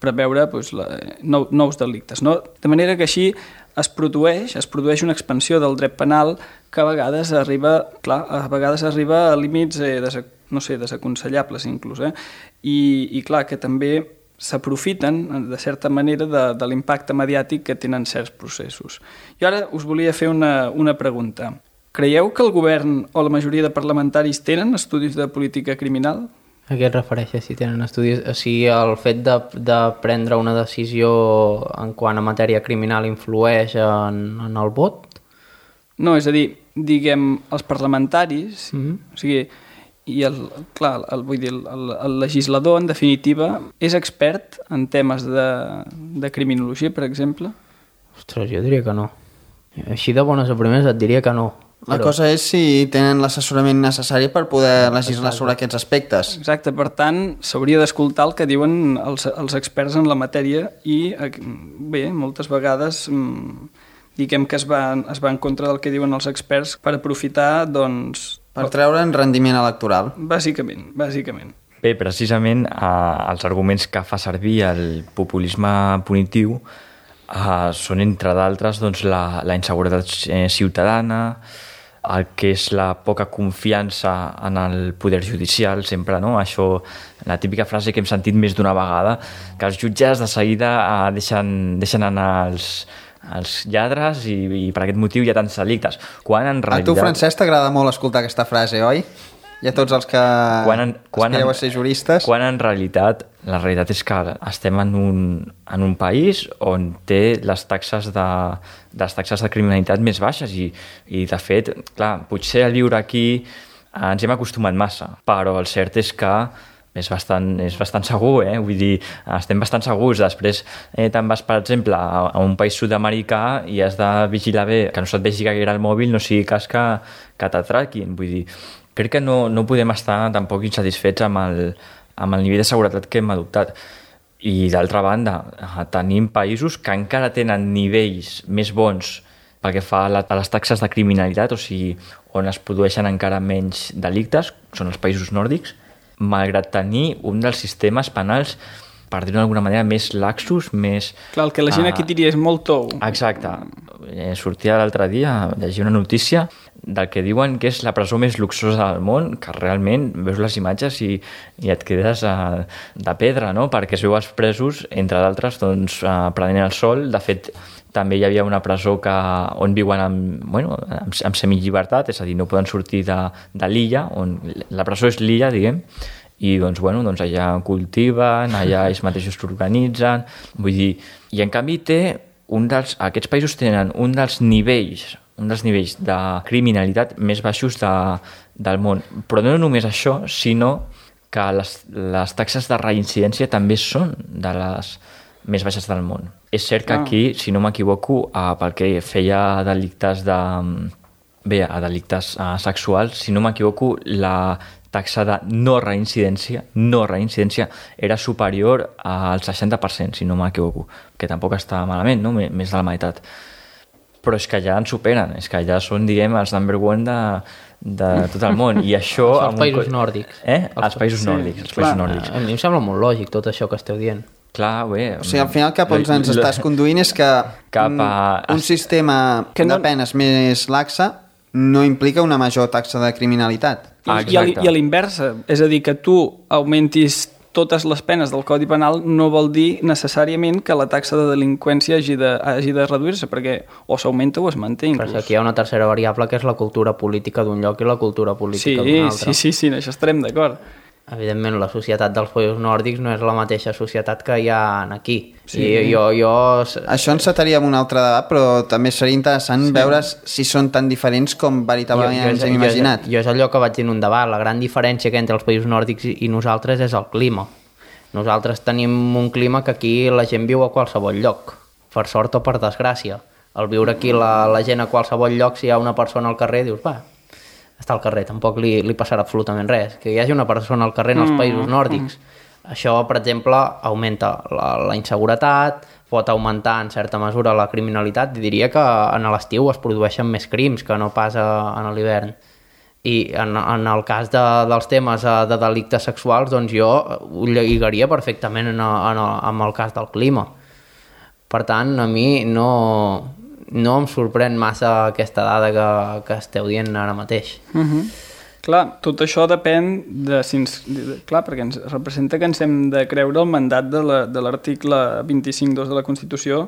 preveure doncs, la, nou, nous delictes. No? De manera que així es produeix, es produeix una expansió del dret penal que a vegades arriba, clar, a vegades arriba a límits eh, des, no sé, desaconsellables inclús, eh? I, i clar, que també s'aprofiten, de certa manera, de, de l'impacte mediàtic que tenen certs processos. I ara us volia fer una, una pregunta. Creieu que el govern o la majoria de parlamentaris tenen estudis de política criminal? A què et refereixes, si tenen estudis? O sigui, el fet de, de prendre una decisió en quant a matèria criminal influeix en, en el vot? No, és a dir, diguem, els parlamentaris, Mm-hmm. o sigui, i el, clar, el, vull dir, el, el legislador, en definitiva, és expert en temes de, de criminologia, per exemple? Ostres, jo diria que no. Així de bones a primeres et diria que no. La Però... cosa és si tenen l'assessorament necessari per poder legislar sobre aquests aspectes. Exacte, per tant, s'hauria d'escoltar el que diuen els, els experts en la matèria i, bé, moltes vegades diguem que es va, es va en contra del que diuen els experts per aprofitar, doncs... Per treure'n rendiment electoral. Bàsicament, bàsicament. Bé, precisament eh, els arguments que fa servir el populisme punitiu eh, són, entre d'altres, doncs, la, la inseguretat eh, ciutadana, el que és la poca confiança en el poder judicial, sempre, no? Això, la típica frase que hem sentit més d'una vegada, que els jutges de seguida eh, deixen, deixen anar els, els lladres i, i per aquest motiu hi ha tants delictes. Quan en realitat... A tu, Francesc, t'agrada molt escoltar aquesta frase, oi? I a tots els que quan en, quan aspireu en, a ser juristes... Quan en realitat, la realitat és que estem en un, en un país on té les taxes de, les taxes de criminalitat més baixes i, i de fet, clar, potser al viure aquí ens hem acostumat massa, però el cert és que és bastant, és bastant segur, eh? Vull dir, estem bastant segurs. Després eh, te'n vas, per exemple, a, a un país sud-americà i has de vigilar bé que no se't vegi gaire el mòbil, no sigui cas que, que t'atraquin. Vull dir, crec que no, no podem estar tampoc insatisfets amb el, amb el nivell de seguretat que hem adoptat. I d'altra banda, tenim països que encara tenen nivells més bons pel que fa a, la, a les taxes de criminalitat, o sigui, on es produeixen encara menys delictes, són els països nòrdics, malgrat tenir un dels sistemes penals, per dir-ho d'alguna manera, més laxos, més... Clar, el que la gent aquí diria és molt tou. Exacte. Eh, sortia l'altre dia a llegir una notícia del que diuen que és la presó més luxosa del món, que realment veus les imatges i, i et quedes uh, de pedra, no? Perquè es veu els presos, entre d'altres, doncs, uh, prenent el sol. De fet, també hi havia una presó que, on viuen amb, bueno, amb, amb semillibertat, és a dir, no poden sortir de, de l'illa, on la presó és l'illa, diguem, i doncs, bueno, doncs allà cultiven, allà ells mateixos s'organitzen, vull dir, i en canvi té un dels, aquests països tenen un dels nivells, un dels nivells de criminalitat més baixos de, del món, però no només això, sinó que les, les taxes de reincidència també són de les més baixes del món. És cert que aquí, si no m'equivoco, eh, pel que feia a delictes de... Bé, a delictes eh, sexuals, si no m'equivoco, la taxa de no reincidència, no reincidència era superior al seixanta per cent, si no m'equivoco, que tampoc està malament, no? Més de la meitat. Però és que ja ens superen, és que ja són, diguem, els number one de, de tot el món. I això... Els països un... nòrdics. Eh? Els països sí, nòrdics. Els països nòrdics. A mi em sembla molt lògic tot això que esteu dient. Clar, bé... O sigui, al final cap on ens estàs conduint és que cap a... un, un sistema que no... de penes més laxa no implica una major taxa de criminalitat. Ah, I, i a l'inversa, és a dir, que tu augmentis totes les penes del Codi Penal no vol dir necessàriament que la taxa de delinqüència hagi de, hagi de reduir-se, perquè o s'augmenta o es manté inclús. Però aquí hi ha una tercera variable que és la cultura política d'un lloc i la cultura política sí, d'un altre. Sí, sí, sí, en això estarem d'acord. Evidentment, la societat dels països nòrdics no és la mateixa societat que hi ha aquí. Sí. I jo, jo... Això enceteria en un altre debat, però també seria interessant sí. veure si són tan diferents com veritablement jo, jo, ens hem imaginat. Jo, jo és allò que vaig dir en un debat. La gran diferència que entre els països nòrdics i nosaltres és el clima. Nosaltres tenim un clima que aquí la gent viu a qualsevol lloc, per sort o per desgràcia. Al viure aquí la, la gent a qualsevol lloc, si hi ha una persona al carrer, dius, va, està al carrer, tampoc li, li passarà absolutament res. Que hi hagi una persona al carrer en els països nòrdics, mm. això, per exemple, augmenta la, la inseguretat, pot augmentar en certa mesura la criminalitat, i diria que en l'estiu es produeixen més crims que no pas a, en l'hivern. I en, en el cas de, dels temes de delictes sexuals, doncs jo ho lligaria perfectament en, en, en el cas del clima. Per tant, a mi no, no em sorprèn massa aquesta dada que, que esteu dient ara mateix. Uh-huh. Clar, tot això depèn de, si ens, de... Clar, perquè ens representa que ens hem de creure el mandat de l'article vint-i-cinc dos de la Constitució,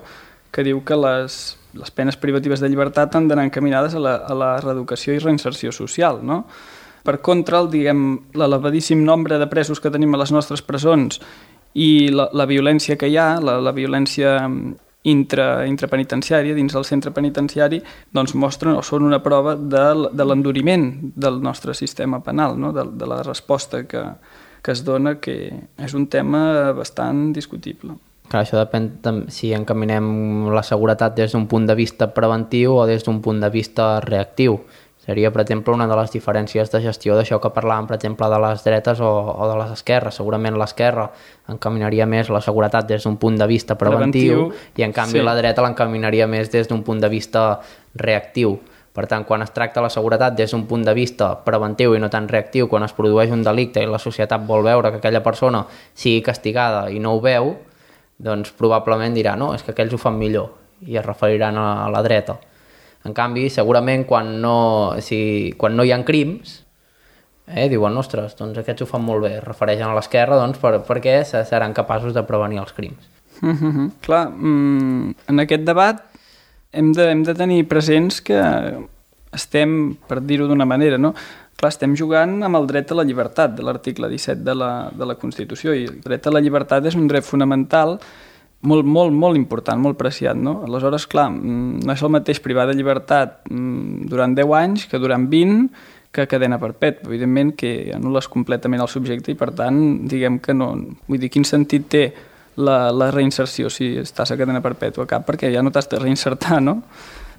que diu que les... les penes privatives de llibertat han d'anar encaminades a la, a la reeducació i reinserció social, no? Per contra, el, diguem, l'elevadíssim nombre de presos que tenim a les nostres presons i la, la violència que hi ha, la, la violència intra, intrapenitenciària, dins del centre penitenciari, doncs mostren o són una prova de, de l'enduriment del nostre sistema penal, no? de, de la resposta que, que es dona, que és un tema bastant discutible. Clar, això depèn de si encaminem la seguretat des d'un punt de vista preventiu o des d'un punt de vista reactiu. Seria, per exemple, una de les diferències de gestió d'això que parlàvem, per exemple, de les dretes o, o de les esquerres. Segurament l'esquerra encaminaria més la seguretat des d'un punt de vista preventiu, preventiu i, en canvi, sí. la dreta l'encaminaria més des d'un punt de vista reactiu. Per tant, quan es tracta la seguretat des d'un punt de vista preventiu i no tan reactiu, quan es produeix un delicte i la societat vol veure que aquella persona sigui castigada i no ho veu, doncs probablement dirà, no, és que aquells ho fan millor, i es referiran a la dreta. En canvi, segurament quan no, si, quan no hi ha crims, eh, diuen, ostres, doncs aquests ho fan molt bé, es refereixen a l'esquerra, doncs per, perquè seran capaços de prevenir els crims. Mm-hmm. Clar, mm, en aquest debat hem de, hem de tenir presents que estem, per dir-ho d'una manera, no? Clar, estem jugant amb el dret a la llibertat de l'article disset de la, de la Constitució, i el dret a la llibertat és un dret fonamental molt, molt, molt important, molt preciat, no? Aleshores, clar, no és el mateix privar de llibertat durant deu anys que durant vint, que cadena perpètua. Evidentment que anul·les completament el subjecte i, per tant, diguem que no... Vull dir, quin sentit té la, la reinserció si estàs a cadena perpètua? Cap, perquè ja no t'has de reinsertar, no?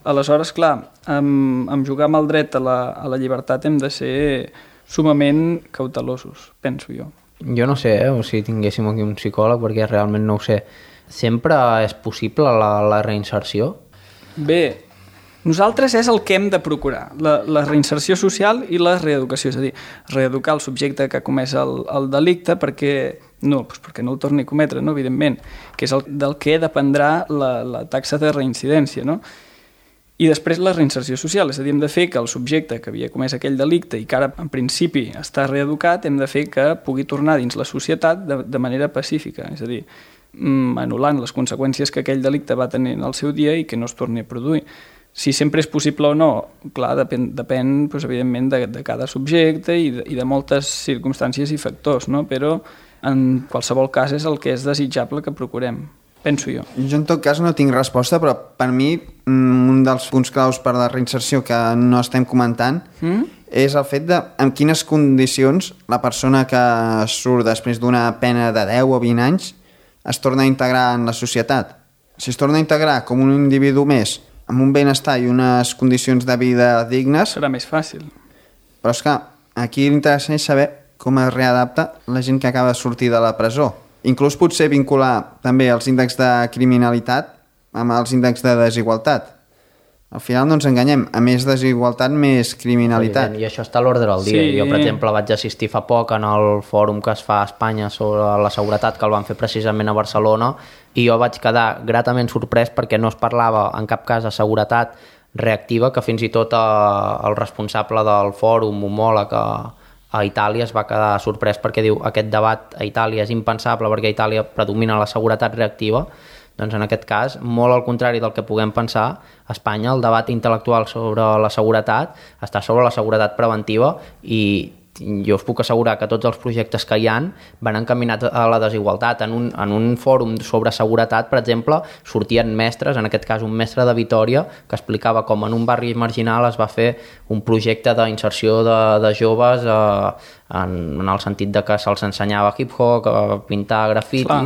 Aleshores, clar, amb, amb jugar amb el dret a la, a la llibertat hem de ser sumament cautelosos, penso jo. Jo no sé, eh, o si tinguéssim aquí un psicòleg, perquè realment no ho sé. Sempre és possible la, la reinserció? Bé, nosaltres és el que hem de procurar, la, la reinserció social i la reeducació, és a dir, reeducar el subjecte que ha comès el, el delicte perquè no, doncs perquè no el torni a cometre, no, evidentment, que és el, del que dependrà la, la taxa de reincidència, no? I després la reinserció social, és a dir, hem de fer que el subjecte que havia comès aquell delicte i que ara en principi està reeducat, hem de fer que pugui tornar dins la societat de, de manera pacífica, és a dir, anul·lant les conseqüències que aquell delicte va tenir en el seu dia i que no es torni a produir. Si sempre és possible o no, clar, depèn, depèn doncs, evidentment, de, de cada subjecte i de, i de moltes circumstàncies i factors, no? Però en qualsevol cas és el que és desitjable que procurem. Penso jo. Jo en tot cas no tinc resposta, però per mi un dels punts claus per la reinserció que no estem comentant mm? és el fet de en quines condicions la persona que surt després d'una pena de deu o vint anys es torna a integrar en la societat. Si es torna a integrar com un individu més, amb un benestar i unes condicions de vida dignes... Serà més fàcil. Però és que aquí l'interessant és saber com es readapta la gent que acaba de sortir de la presó. Inclús potser vincular també els índexs de criminalitat amb els índexs de desigualtat. Al final no ens enganyem, a més desigualtat, més criminalitat. Evident, i això està a l'ordre del dia. Sí. Jo, per exemple, vaig assistir fa poc en el fòrum que es fa a Espanya sobre la seguretat, que el van fer precisament a Barcelona, i jo vaig quedar gratament sorprès perquè no es parlava en cap cas de seguretat reactiva, que fins i tot el responsable del fòrum, homòleg, a a Itàlia, es va quedar sorprès perquè diu aquest debat a Itàlia és impensable perquè a Itàlia predomina la seguretat reactiva. Doncs en aquest cas, molt al contrari del que puguem pensar, a Espanya el debat intel·lectual sobre la seguretat està sobre la seguretat preventiva i jo us puc assegurar que tots els projectes que hi han van encaminats a la desigualtat. En un, en un fòrum sobre seguretat, per exemple, sortien mestres, en aquest cas un mestre de Vitòria, que explicava com en un barri marginal es va fer un projecte d'inserció de, de joves eh, en, en el sentit de que se'ls ensenyava hip-hop, pintar grafiti, Clar.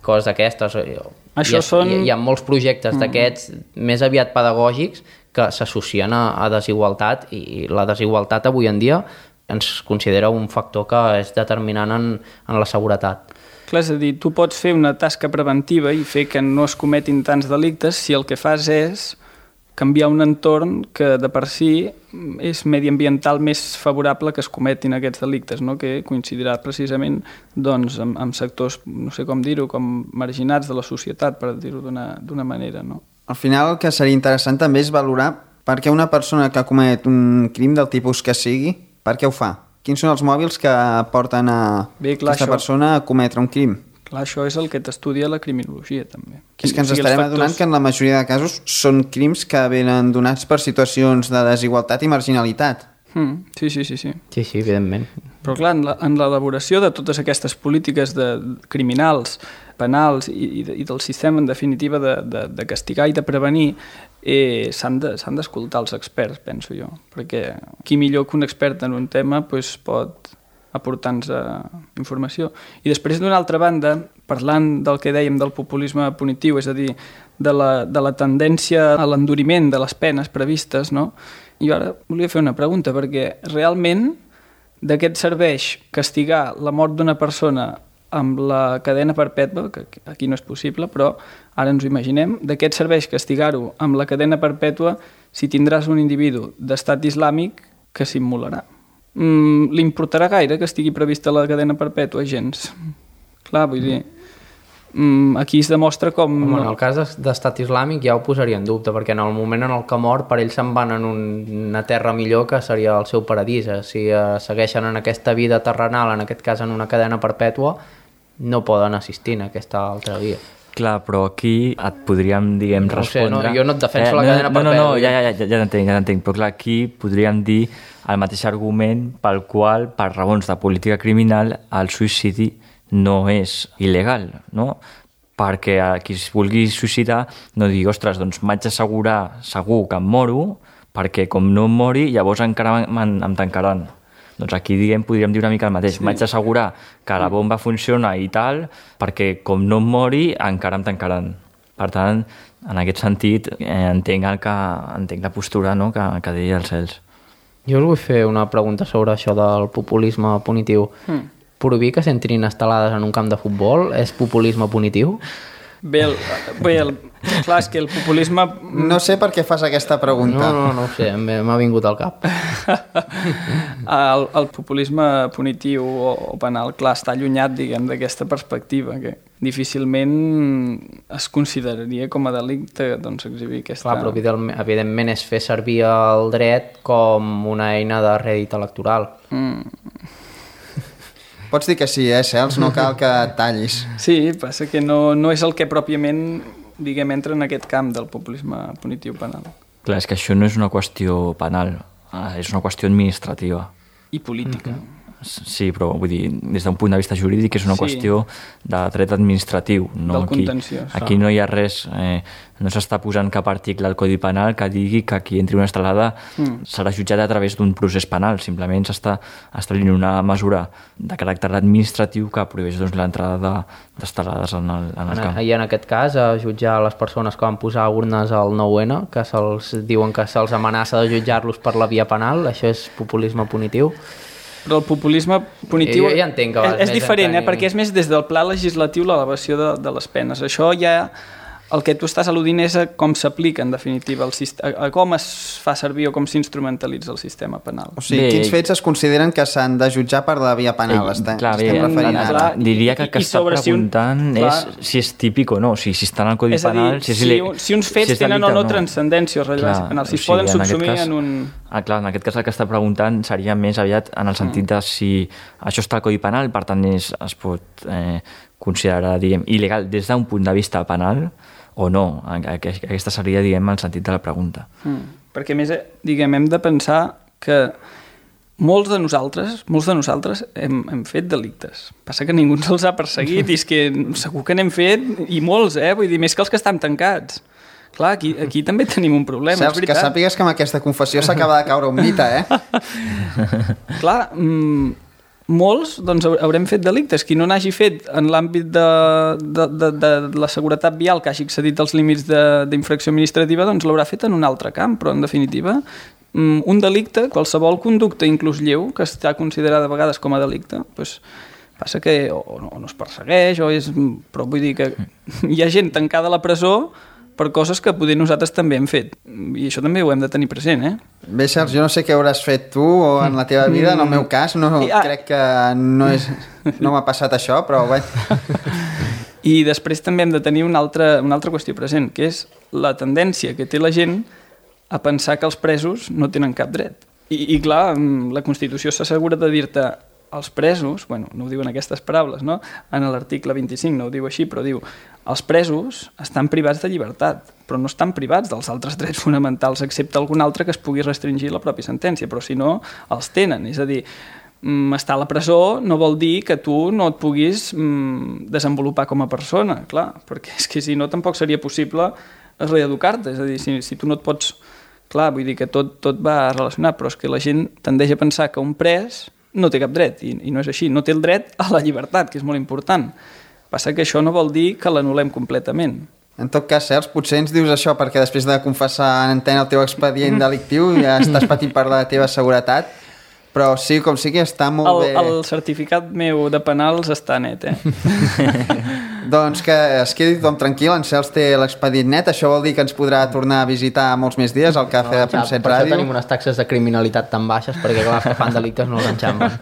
coses d'aquestes. Això hi, són... hi, hi ha molts projectes mm. d'aquests més aviat pedagògics que s'associen a, a desigualtat i la desigualtat avui en dia ens considera un factor que és determinant en, en la seguretat. Clar, és a dir, tu pots fer una tasca preventiva i fer que no es cometin tants delictes si el que fas és canviar un entorn que de per si és mediambiental més favorable que es cometin aquests delictes, no? Que coincidirà precisament doncs, amb, amb sectors, no sé com dir-ho, com marginats de la societat, per dir-ho d'una manera. No? Al final el que seria interessant també és valorar per què una persona que comet un crim del tipus que sigui, per què ho fa? Quins són els mòbils que porten a Bé, clar, aquesta això... persona a cometre un crim? Clar, això és el que t'estudia la criminologia, també. És que ens o sigui, estarem factors... adonant que en la majoria de casos són crims que venen donats per situacions de desigualtat i marginalitat. Mm, sí, sí, sí, sí. Sí, sí, evidentment. Però clar, en l'elaboració de totes aquestes polítiques de criminals, penals i, i, i del sistema, en definitiva, de, de, de castigar i de prevenir, eh, s'han d'escoltar de, els experts, penso jo. Perquè qui millor que un expert en un tema pues, pot aportar-nos informació. I després, d'una altra banda, parlant del que dèiem del populisme punitiu, és a dir, de la, de la tendència a l'enduriment de les penes previstes, no? Jo ara volia fer una pregunta, perquè realment de què et serveix castigar la mort d'una persona amb la cadena perpètua, que aquí no és possible, però ara ens ho imaginem, de què et serveix castigar-ho amb la cadena perpètua si tindràs un individu d'estat islàmic que s'immolarà? Mm, li importarà gaire que estigui prevista la cadena perpètua? Gens. Clar, vull dir, mm, aquí es demostra com... Home, en el cas d'estat islàmic ja ho posaria en dubte, perquè en el moment en el que mor, per ells se'n van en un, una terra millor que seria el seu paradís. Si eh, segueixen en aquesta vida terrenal, en aquest cas en una cadena perpètua, no poden assistir en aquesta altra via. Clar, però aquí et podríem, diguem, no sé, respondre... No, jo no et defenso eh, la cadena no, perpètua. No, no, ja, ja, ja, ja t'entenc, ja t'entenc, però clar, aquí podríem dir el mateix argument pel qual, per raons de política criminal, el suïcidi no és il·legal, no? Perquè a qui es vulgui suïcidar no digui, ostres, doncs m'haig d'assegurar segur que em moro, perquè com no em mori, llavors encara em, em tancaran. Doncs aquí, diguem, podríem dir una mica el mateix. Sí. M'haig d'assegurar que la bomba funciona i tal, perquè com no em mori, encara em tancaran. Per tant, en aquest sentit, eh, entenc, el que, entenc la postura, no?, que, que deia els Cels. Jo us vull fer una pregunta sobre això del populisme punitiu. Mm. Prohibir que s'entrin estelades en un camp de futbol és populisme punitiu? Bé, el, bé el, clar, és que el populisme... No sé per què fas aquesta pregunta. No, no, no ho sé, m'ha vingut al cap. el, el populisme punitiu o, o penal, clar, està allunyat, diguem, d'aquesta perspectiva, que difícilment es consideraria com a delicte, doncs, exhibir aquesta... Clar, però evidentment és fer servir el dret com una eina de rèdit electoral. Mm. Pots dir que sí, eh, Cels? No cal que et tallis. Sí, passa que no, no és el que pròpiament, diguem, entra en aquest camp del populisme punitiu penal. Clar, és que això no és una qüestió penal, és una qüestió administrativa. I política. Mm-hmm. Sí, però vull dir, des d'un punt de vista jurídic és una sí. qüestió de dret administratiu. No? Del Aquí, contenciós. aquí no hi ha res, eh, no s'està posant cap article al Codi Penal que digui que qui entri una estelada mm. serà jutjat a través d'un procés penal. Simplement s'està establint una mesura de caràcter administratiu que prohibeix doncs, l'entrada d'estelades en el, en el camp. I en aquest cas, a jutjar les persones que van posar urnes al nou ene, que se'ls diuen que se'ls amenaça de jutjar-los per la via penal, això és populisme punitiu? Però el populisme punitiu jo ja entenc que és, és diferent, eh? Perquè és més des del pla legislatiu l'elevació de, de les penes. Això ja, el que tu estàs al·ludint és a com s'aplica en definitiva, el sistema, a com es fa servir o com s'instrumentalitza el sistema penal. O sigui, bé, quins fets es consideren que s'han de jutjar per la via penal? Ei, estem, clar, estem bé, referint clar, ara. Diria que el que està preguntant si un, és clar, si és típic o no, o sigui, si està en el Codi és Penal... És a dir, si, si, un, si uns fets si tenen o no, no transcendència o rellevància penal, si es poden en subsumir cas, en un... Ah, clar, en aquest cas el que està preguntant seria més aviat en el sentit de si això està al Codi Penal, per tant és, es pot eh, considerar, diguem, il·legal des d'un punt de vista penal o no. Aquesta seria, diguem, el sentit de la pregunta. Mm. Perquè, més, diguem, hem de pensar que molts de nosaltres, molts de nosaltres hem, hem fet delictes. Passa que ningú ens els ha perseguit i és que segur que n'hem fet i molts, eh? Vull dir, més que els que estan tancats. Clar, aquí, aquí també tenim un problema, Saps, és veritat. que sàpigues que amb aquesta confessió s'acaba de caure un mite, eh? Clar, mmm, molts doncs, haurem fet delictes. Qui no n'hagi fet en l'àmbit de, de, de, de la seguretat vial, que hagi excedit els límits d'infracció administrativa, doncs l'haurà fet en un altre camp, però en definitiva un delicte, qualsevol conducta, inclús lleu, que està considerada a vegades com a delicte, doncs passa que o no, o no es persegueix, o és... però vull dir que hi ha gent tancada a la presó per coses que potser nosaltres també hem fet. I això també ho hem de tenir present, eh? Bé, Charles, jo no sé què hauràs fet tu o en la teva vida, en el meu cas, no, I, ah, crec que no, és, no m'ha passat això, però bé. I després també hem de tenir una altra, una altra qüestió present, que és la tendència que té la gent a pensar que els presos no tenen cap dret. I, i clar, la Constitució s'assegura de dir-te els presos, bueno, no ho diuen aquestes paraules, no? En l'article vint-i-cinc no ho diu així, però diu els presos estan privats de llibertat, però no estan privats dels altres drets fonamentals, excepte algun altre que es pugui restringir la pròpia sentència, però si no, els tenen. És a dir, estar a la presó no vol dir que tu no et puguis mm, desenvolupar com a persona, clar, perquè és que si no tampoc seria possible reeducar-te, és a dir, si, si tu no et pots... Clar, vull dir que tot, tot va relacionat, però és que la gent tendeix a pensar que un pres no té cap dret, i, i no és així, no té el dret a la llibertat, que és molt important. Passa que això no vol dir que l'anul·lem completament. En tot cas, Cels, potser ens dius això perquè després de confessar en antena el teu expedient delictiu ja estàs patint per la teva seguretat, però sí, com sigui, està molt el, bé... El certificat meu de penals està net, eh? Doncs que es quedi tothom tranquil, en Cels té l'expedient net, això vol dir que ens podrà tornar a visitar molts més dies al Cafè de Punt set Ràdio. Per Ràdio. això tenim unes taxes de criminalitat tan baixes, perquè clar, els que fan delictes no els enxampen.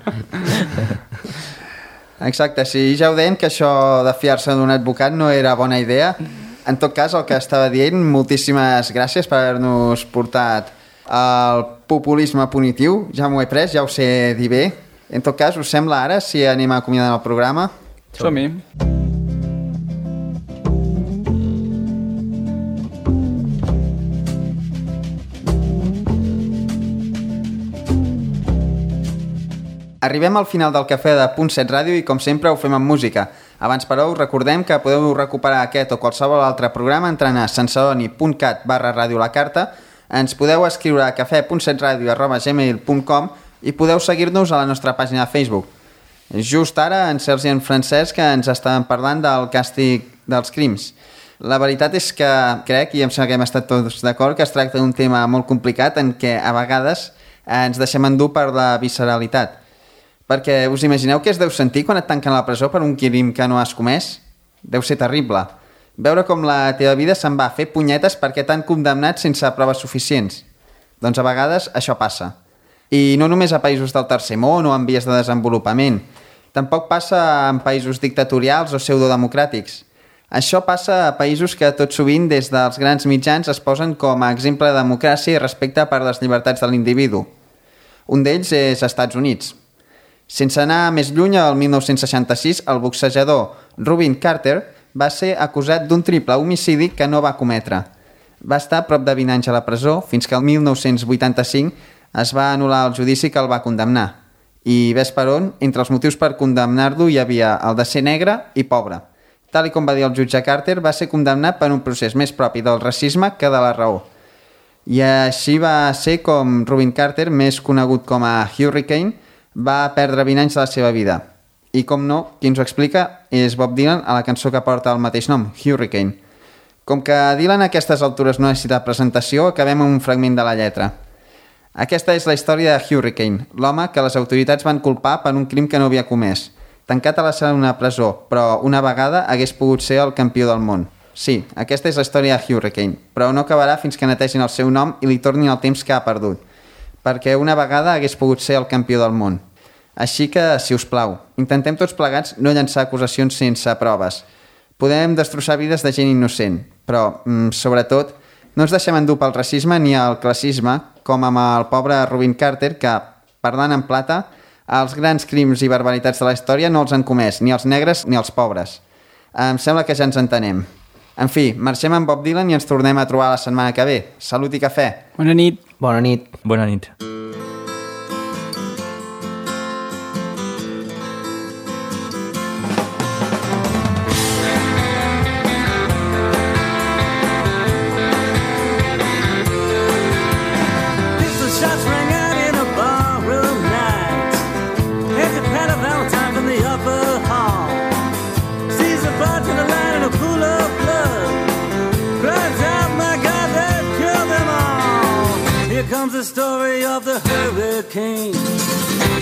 Exacte, sí, ja ho deien que això de fiar-se d'un advocat no era bona idea. En tot cas, el que estava dient, moltíssimes gràcies per haver-nos portat el populisme punitiu, ja m'ho he pres, ja ho sé dir bé. En tot cas, us sembla ara si anem acomiadant el programa? Som-hi. Arribem al final del Cafè de Punt set Ràdio i, com sempre, ho fem amb música. Abans, però, us recordem que podeu recuperar aquest o qualsevol altre programa entrant a sansadoni.cat barra ràdio la carta. Ens podeu escriure a cafè punt set ràdio arroba gmail punt com i podeu seguir-nos a la nostra pàgina de Facebook. Just ara, en Sergi i en Francesc ens estaven parlant del càstig dels crims. La veritat és que crec, i em sembla que hem estat tots d'acord, que es tracta d'un tema molt complicat en què a vegades ens deixem endur per la visceralitat. Perquè us imagineu què es deu sentir quan et tanquen a la presó per un crim que no has comès? Deu ser terrible. Veure com la teva vida se'n va fer punyetes perquè t'han condemnat sense proves suficients. Doncs a vegades això passa. I no només a països del tercer món o en vies de desenvolupament. Tampoc passa en països dictatorials o pseudodemocràtics. Això passa a països que tot sovint des dels grans mitjans es posen com a exemple de democràcia i respecte per les llibertats de l'individu. Un d'ells és Estats Units. Sense anar més lluny, el mil nou-cents seixanta-sis, el boxejador Rubin Carter va ser acusat d'un triple homicidi que no va cometre. Va estar prop de vint anys a la presó, fins que el mil nou-cents vuitanta-cinc es va anul·lar el judici que el va condemnar. I ves per on, entre els motius per condemnar-lo hi havia el de ser negre i pobre. Tal i com va dir el jutge Carter, va ser condemnat per un procés més propi del racisme que de la raó. I així va ser com Rubin Carter, més conegut com a Hurricane, va perdre vint anys de la seva vida. I com no, qui ens ho explica és Bob Dylan a la cançó que porta el mateix nom, Hurricane. Com que Dylan a aquestes altures no necessita presentació, acabem amb un fragment de la lletra. Aquesta és la història de Hurricane, l'home que les autoritats van culpar per un crim que no havia comès. Tancat a la sala d'una presó, però una vegada hagués pogut ser el campió del món. Sí, aquesta és la història de Hurricane, però no acabarà fins que netegin el seu nom i li tornin el temps que ha perdut. Perquè una vegada hagués pogut ser el campió del món. Així que, si us plau, intentem tots plegats no llançar acusacions sense proves. Podem destrossar vides de gent innocent, però, mm, sobretot, no ens deixem endur pel racisme ni el classisme, com amb el pobre Rubin Carter, que, parlant en plata, els grans crims i barbaritats de la història no els han comès, ni els negres ni els pobres. Em sembla que ja ens entenem. En fi, marxem amb Bob Dylan i ens tornem a trobar la setmana que ve. Salut i cafè! Bona nit! Bona nit! Bona nit! The story of the hurricane,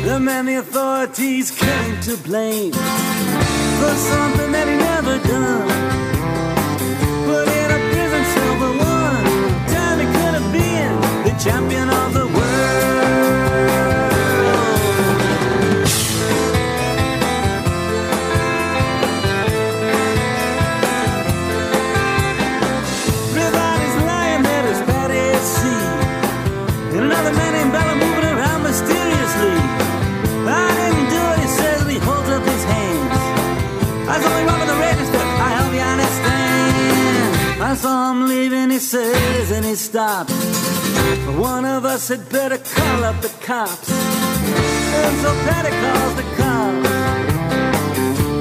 the man the authorities came to blame for something that he never done, put in a prison cell. saw him leaving, he says, and he stops. One of us had better call up the cops. And so Patty calls the cops.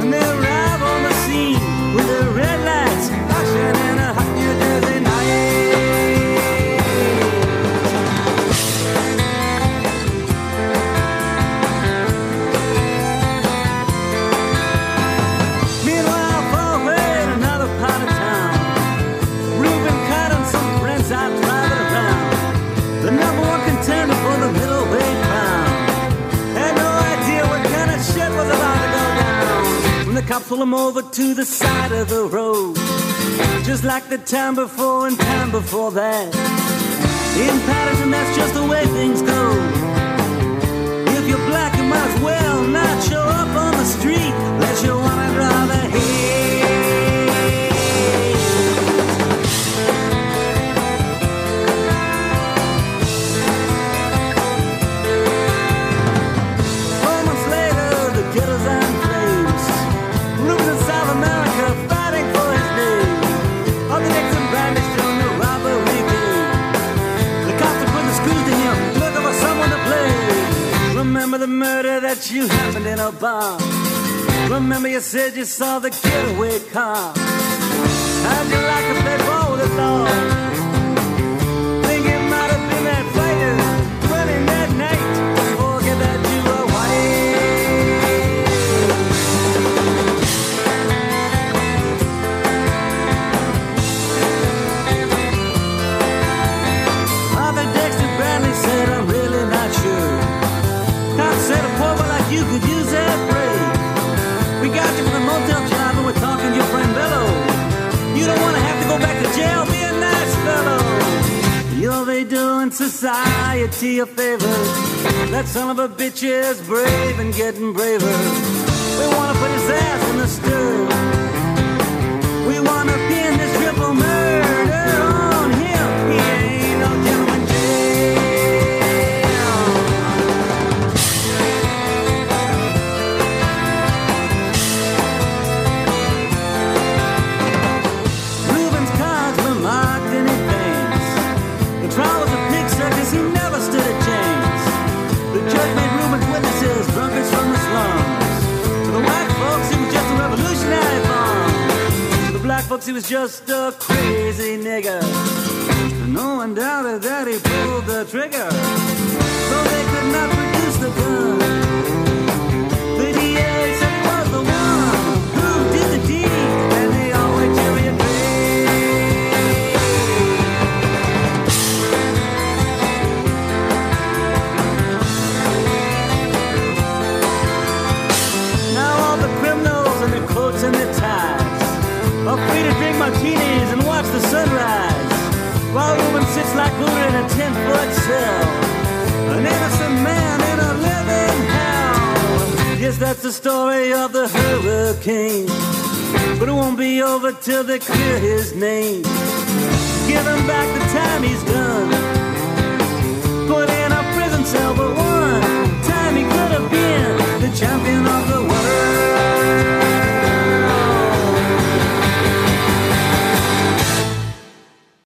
And they arrive on the scene with their red lights flashing in a hot New Jersey night. Meanwhile, far away in another part of town, Reuben Cott and some friends out driving around. The number one contender for the middleweight crown had no idea what kind of shit was about to go down when the cops pull him over to the side of the road, just like the time before and time before that. In Patterson, that's just the way things go. If you're black, you might as well not show up on the street unless you want to draw the heat. Four months later, the ghetto's on flames. Reuben in South America fighting for his name. All the Nixon bandits on the robbery game. The cops are putting the screws to him, looking for someone to blame. Remember the murder that you happened in a bar. Remember you said you saw the getaway car. How'd you like to play ball with the law? Think it might have been that fighter running that night. Forget that you were white. Arthur Dexter Bradley said, I'm really not sure. Cop said a poor boy like you could use that break. We got you from the motel job and we're talking to your friend Bello. You don't want to have to go back to jail, be a nice fellow. You'll be doing society a favor. That son of a bitch is brave and getting braver. We want to put his ass in the stir. We want to pin this triple murder on him. He ain't no gentleman jail. Reuben's cards were marked in advance. The trial was a pig circus, he never stood a chance. The judge made Reuben's witnesses drunkards from the slums. To the white folks, he was just a revolutionary bomb. To the black folks, he was just a crazy nigger. And no one doubted that he pulled the trigger. So they could not produce the gun. The D A said he was the one who did the deed, and they all went cherry and now all the criminals in their coats and their ties are free to drink martinis and watch the sunrise, while Reuben sits like Buddha in a ten-foot cell, an innocent man in a living hell. Yes, that's the story of the hurricane, but it won't be over till they clear his name. Give him back the time he's done.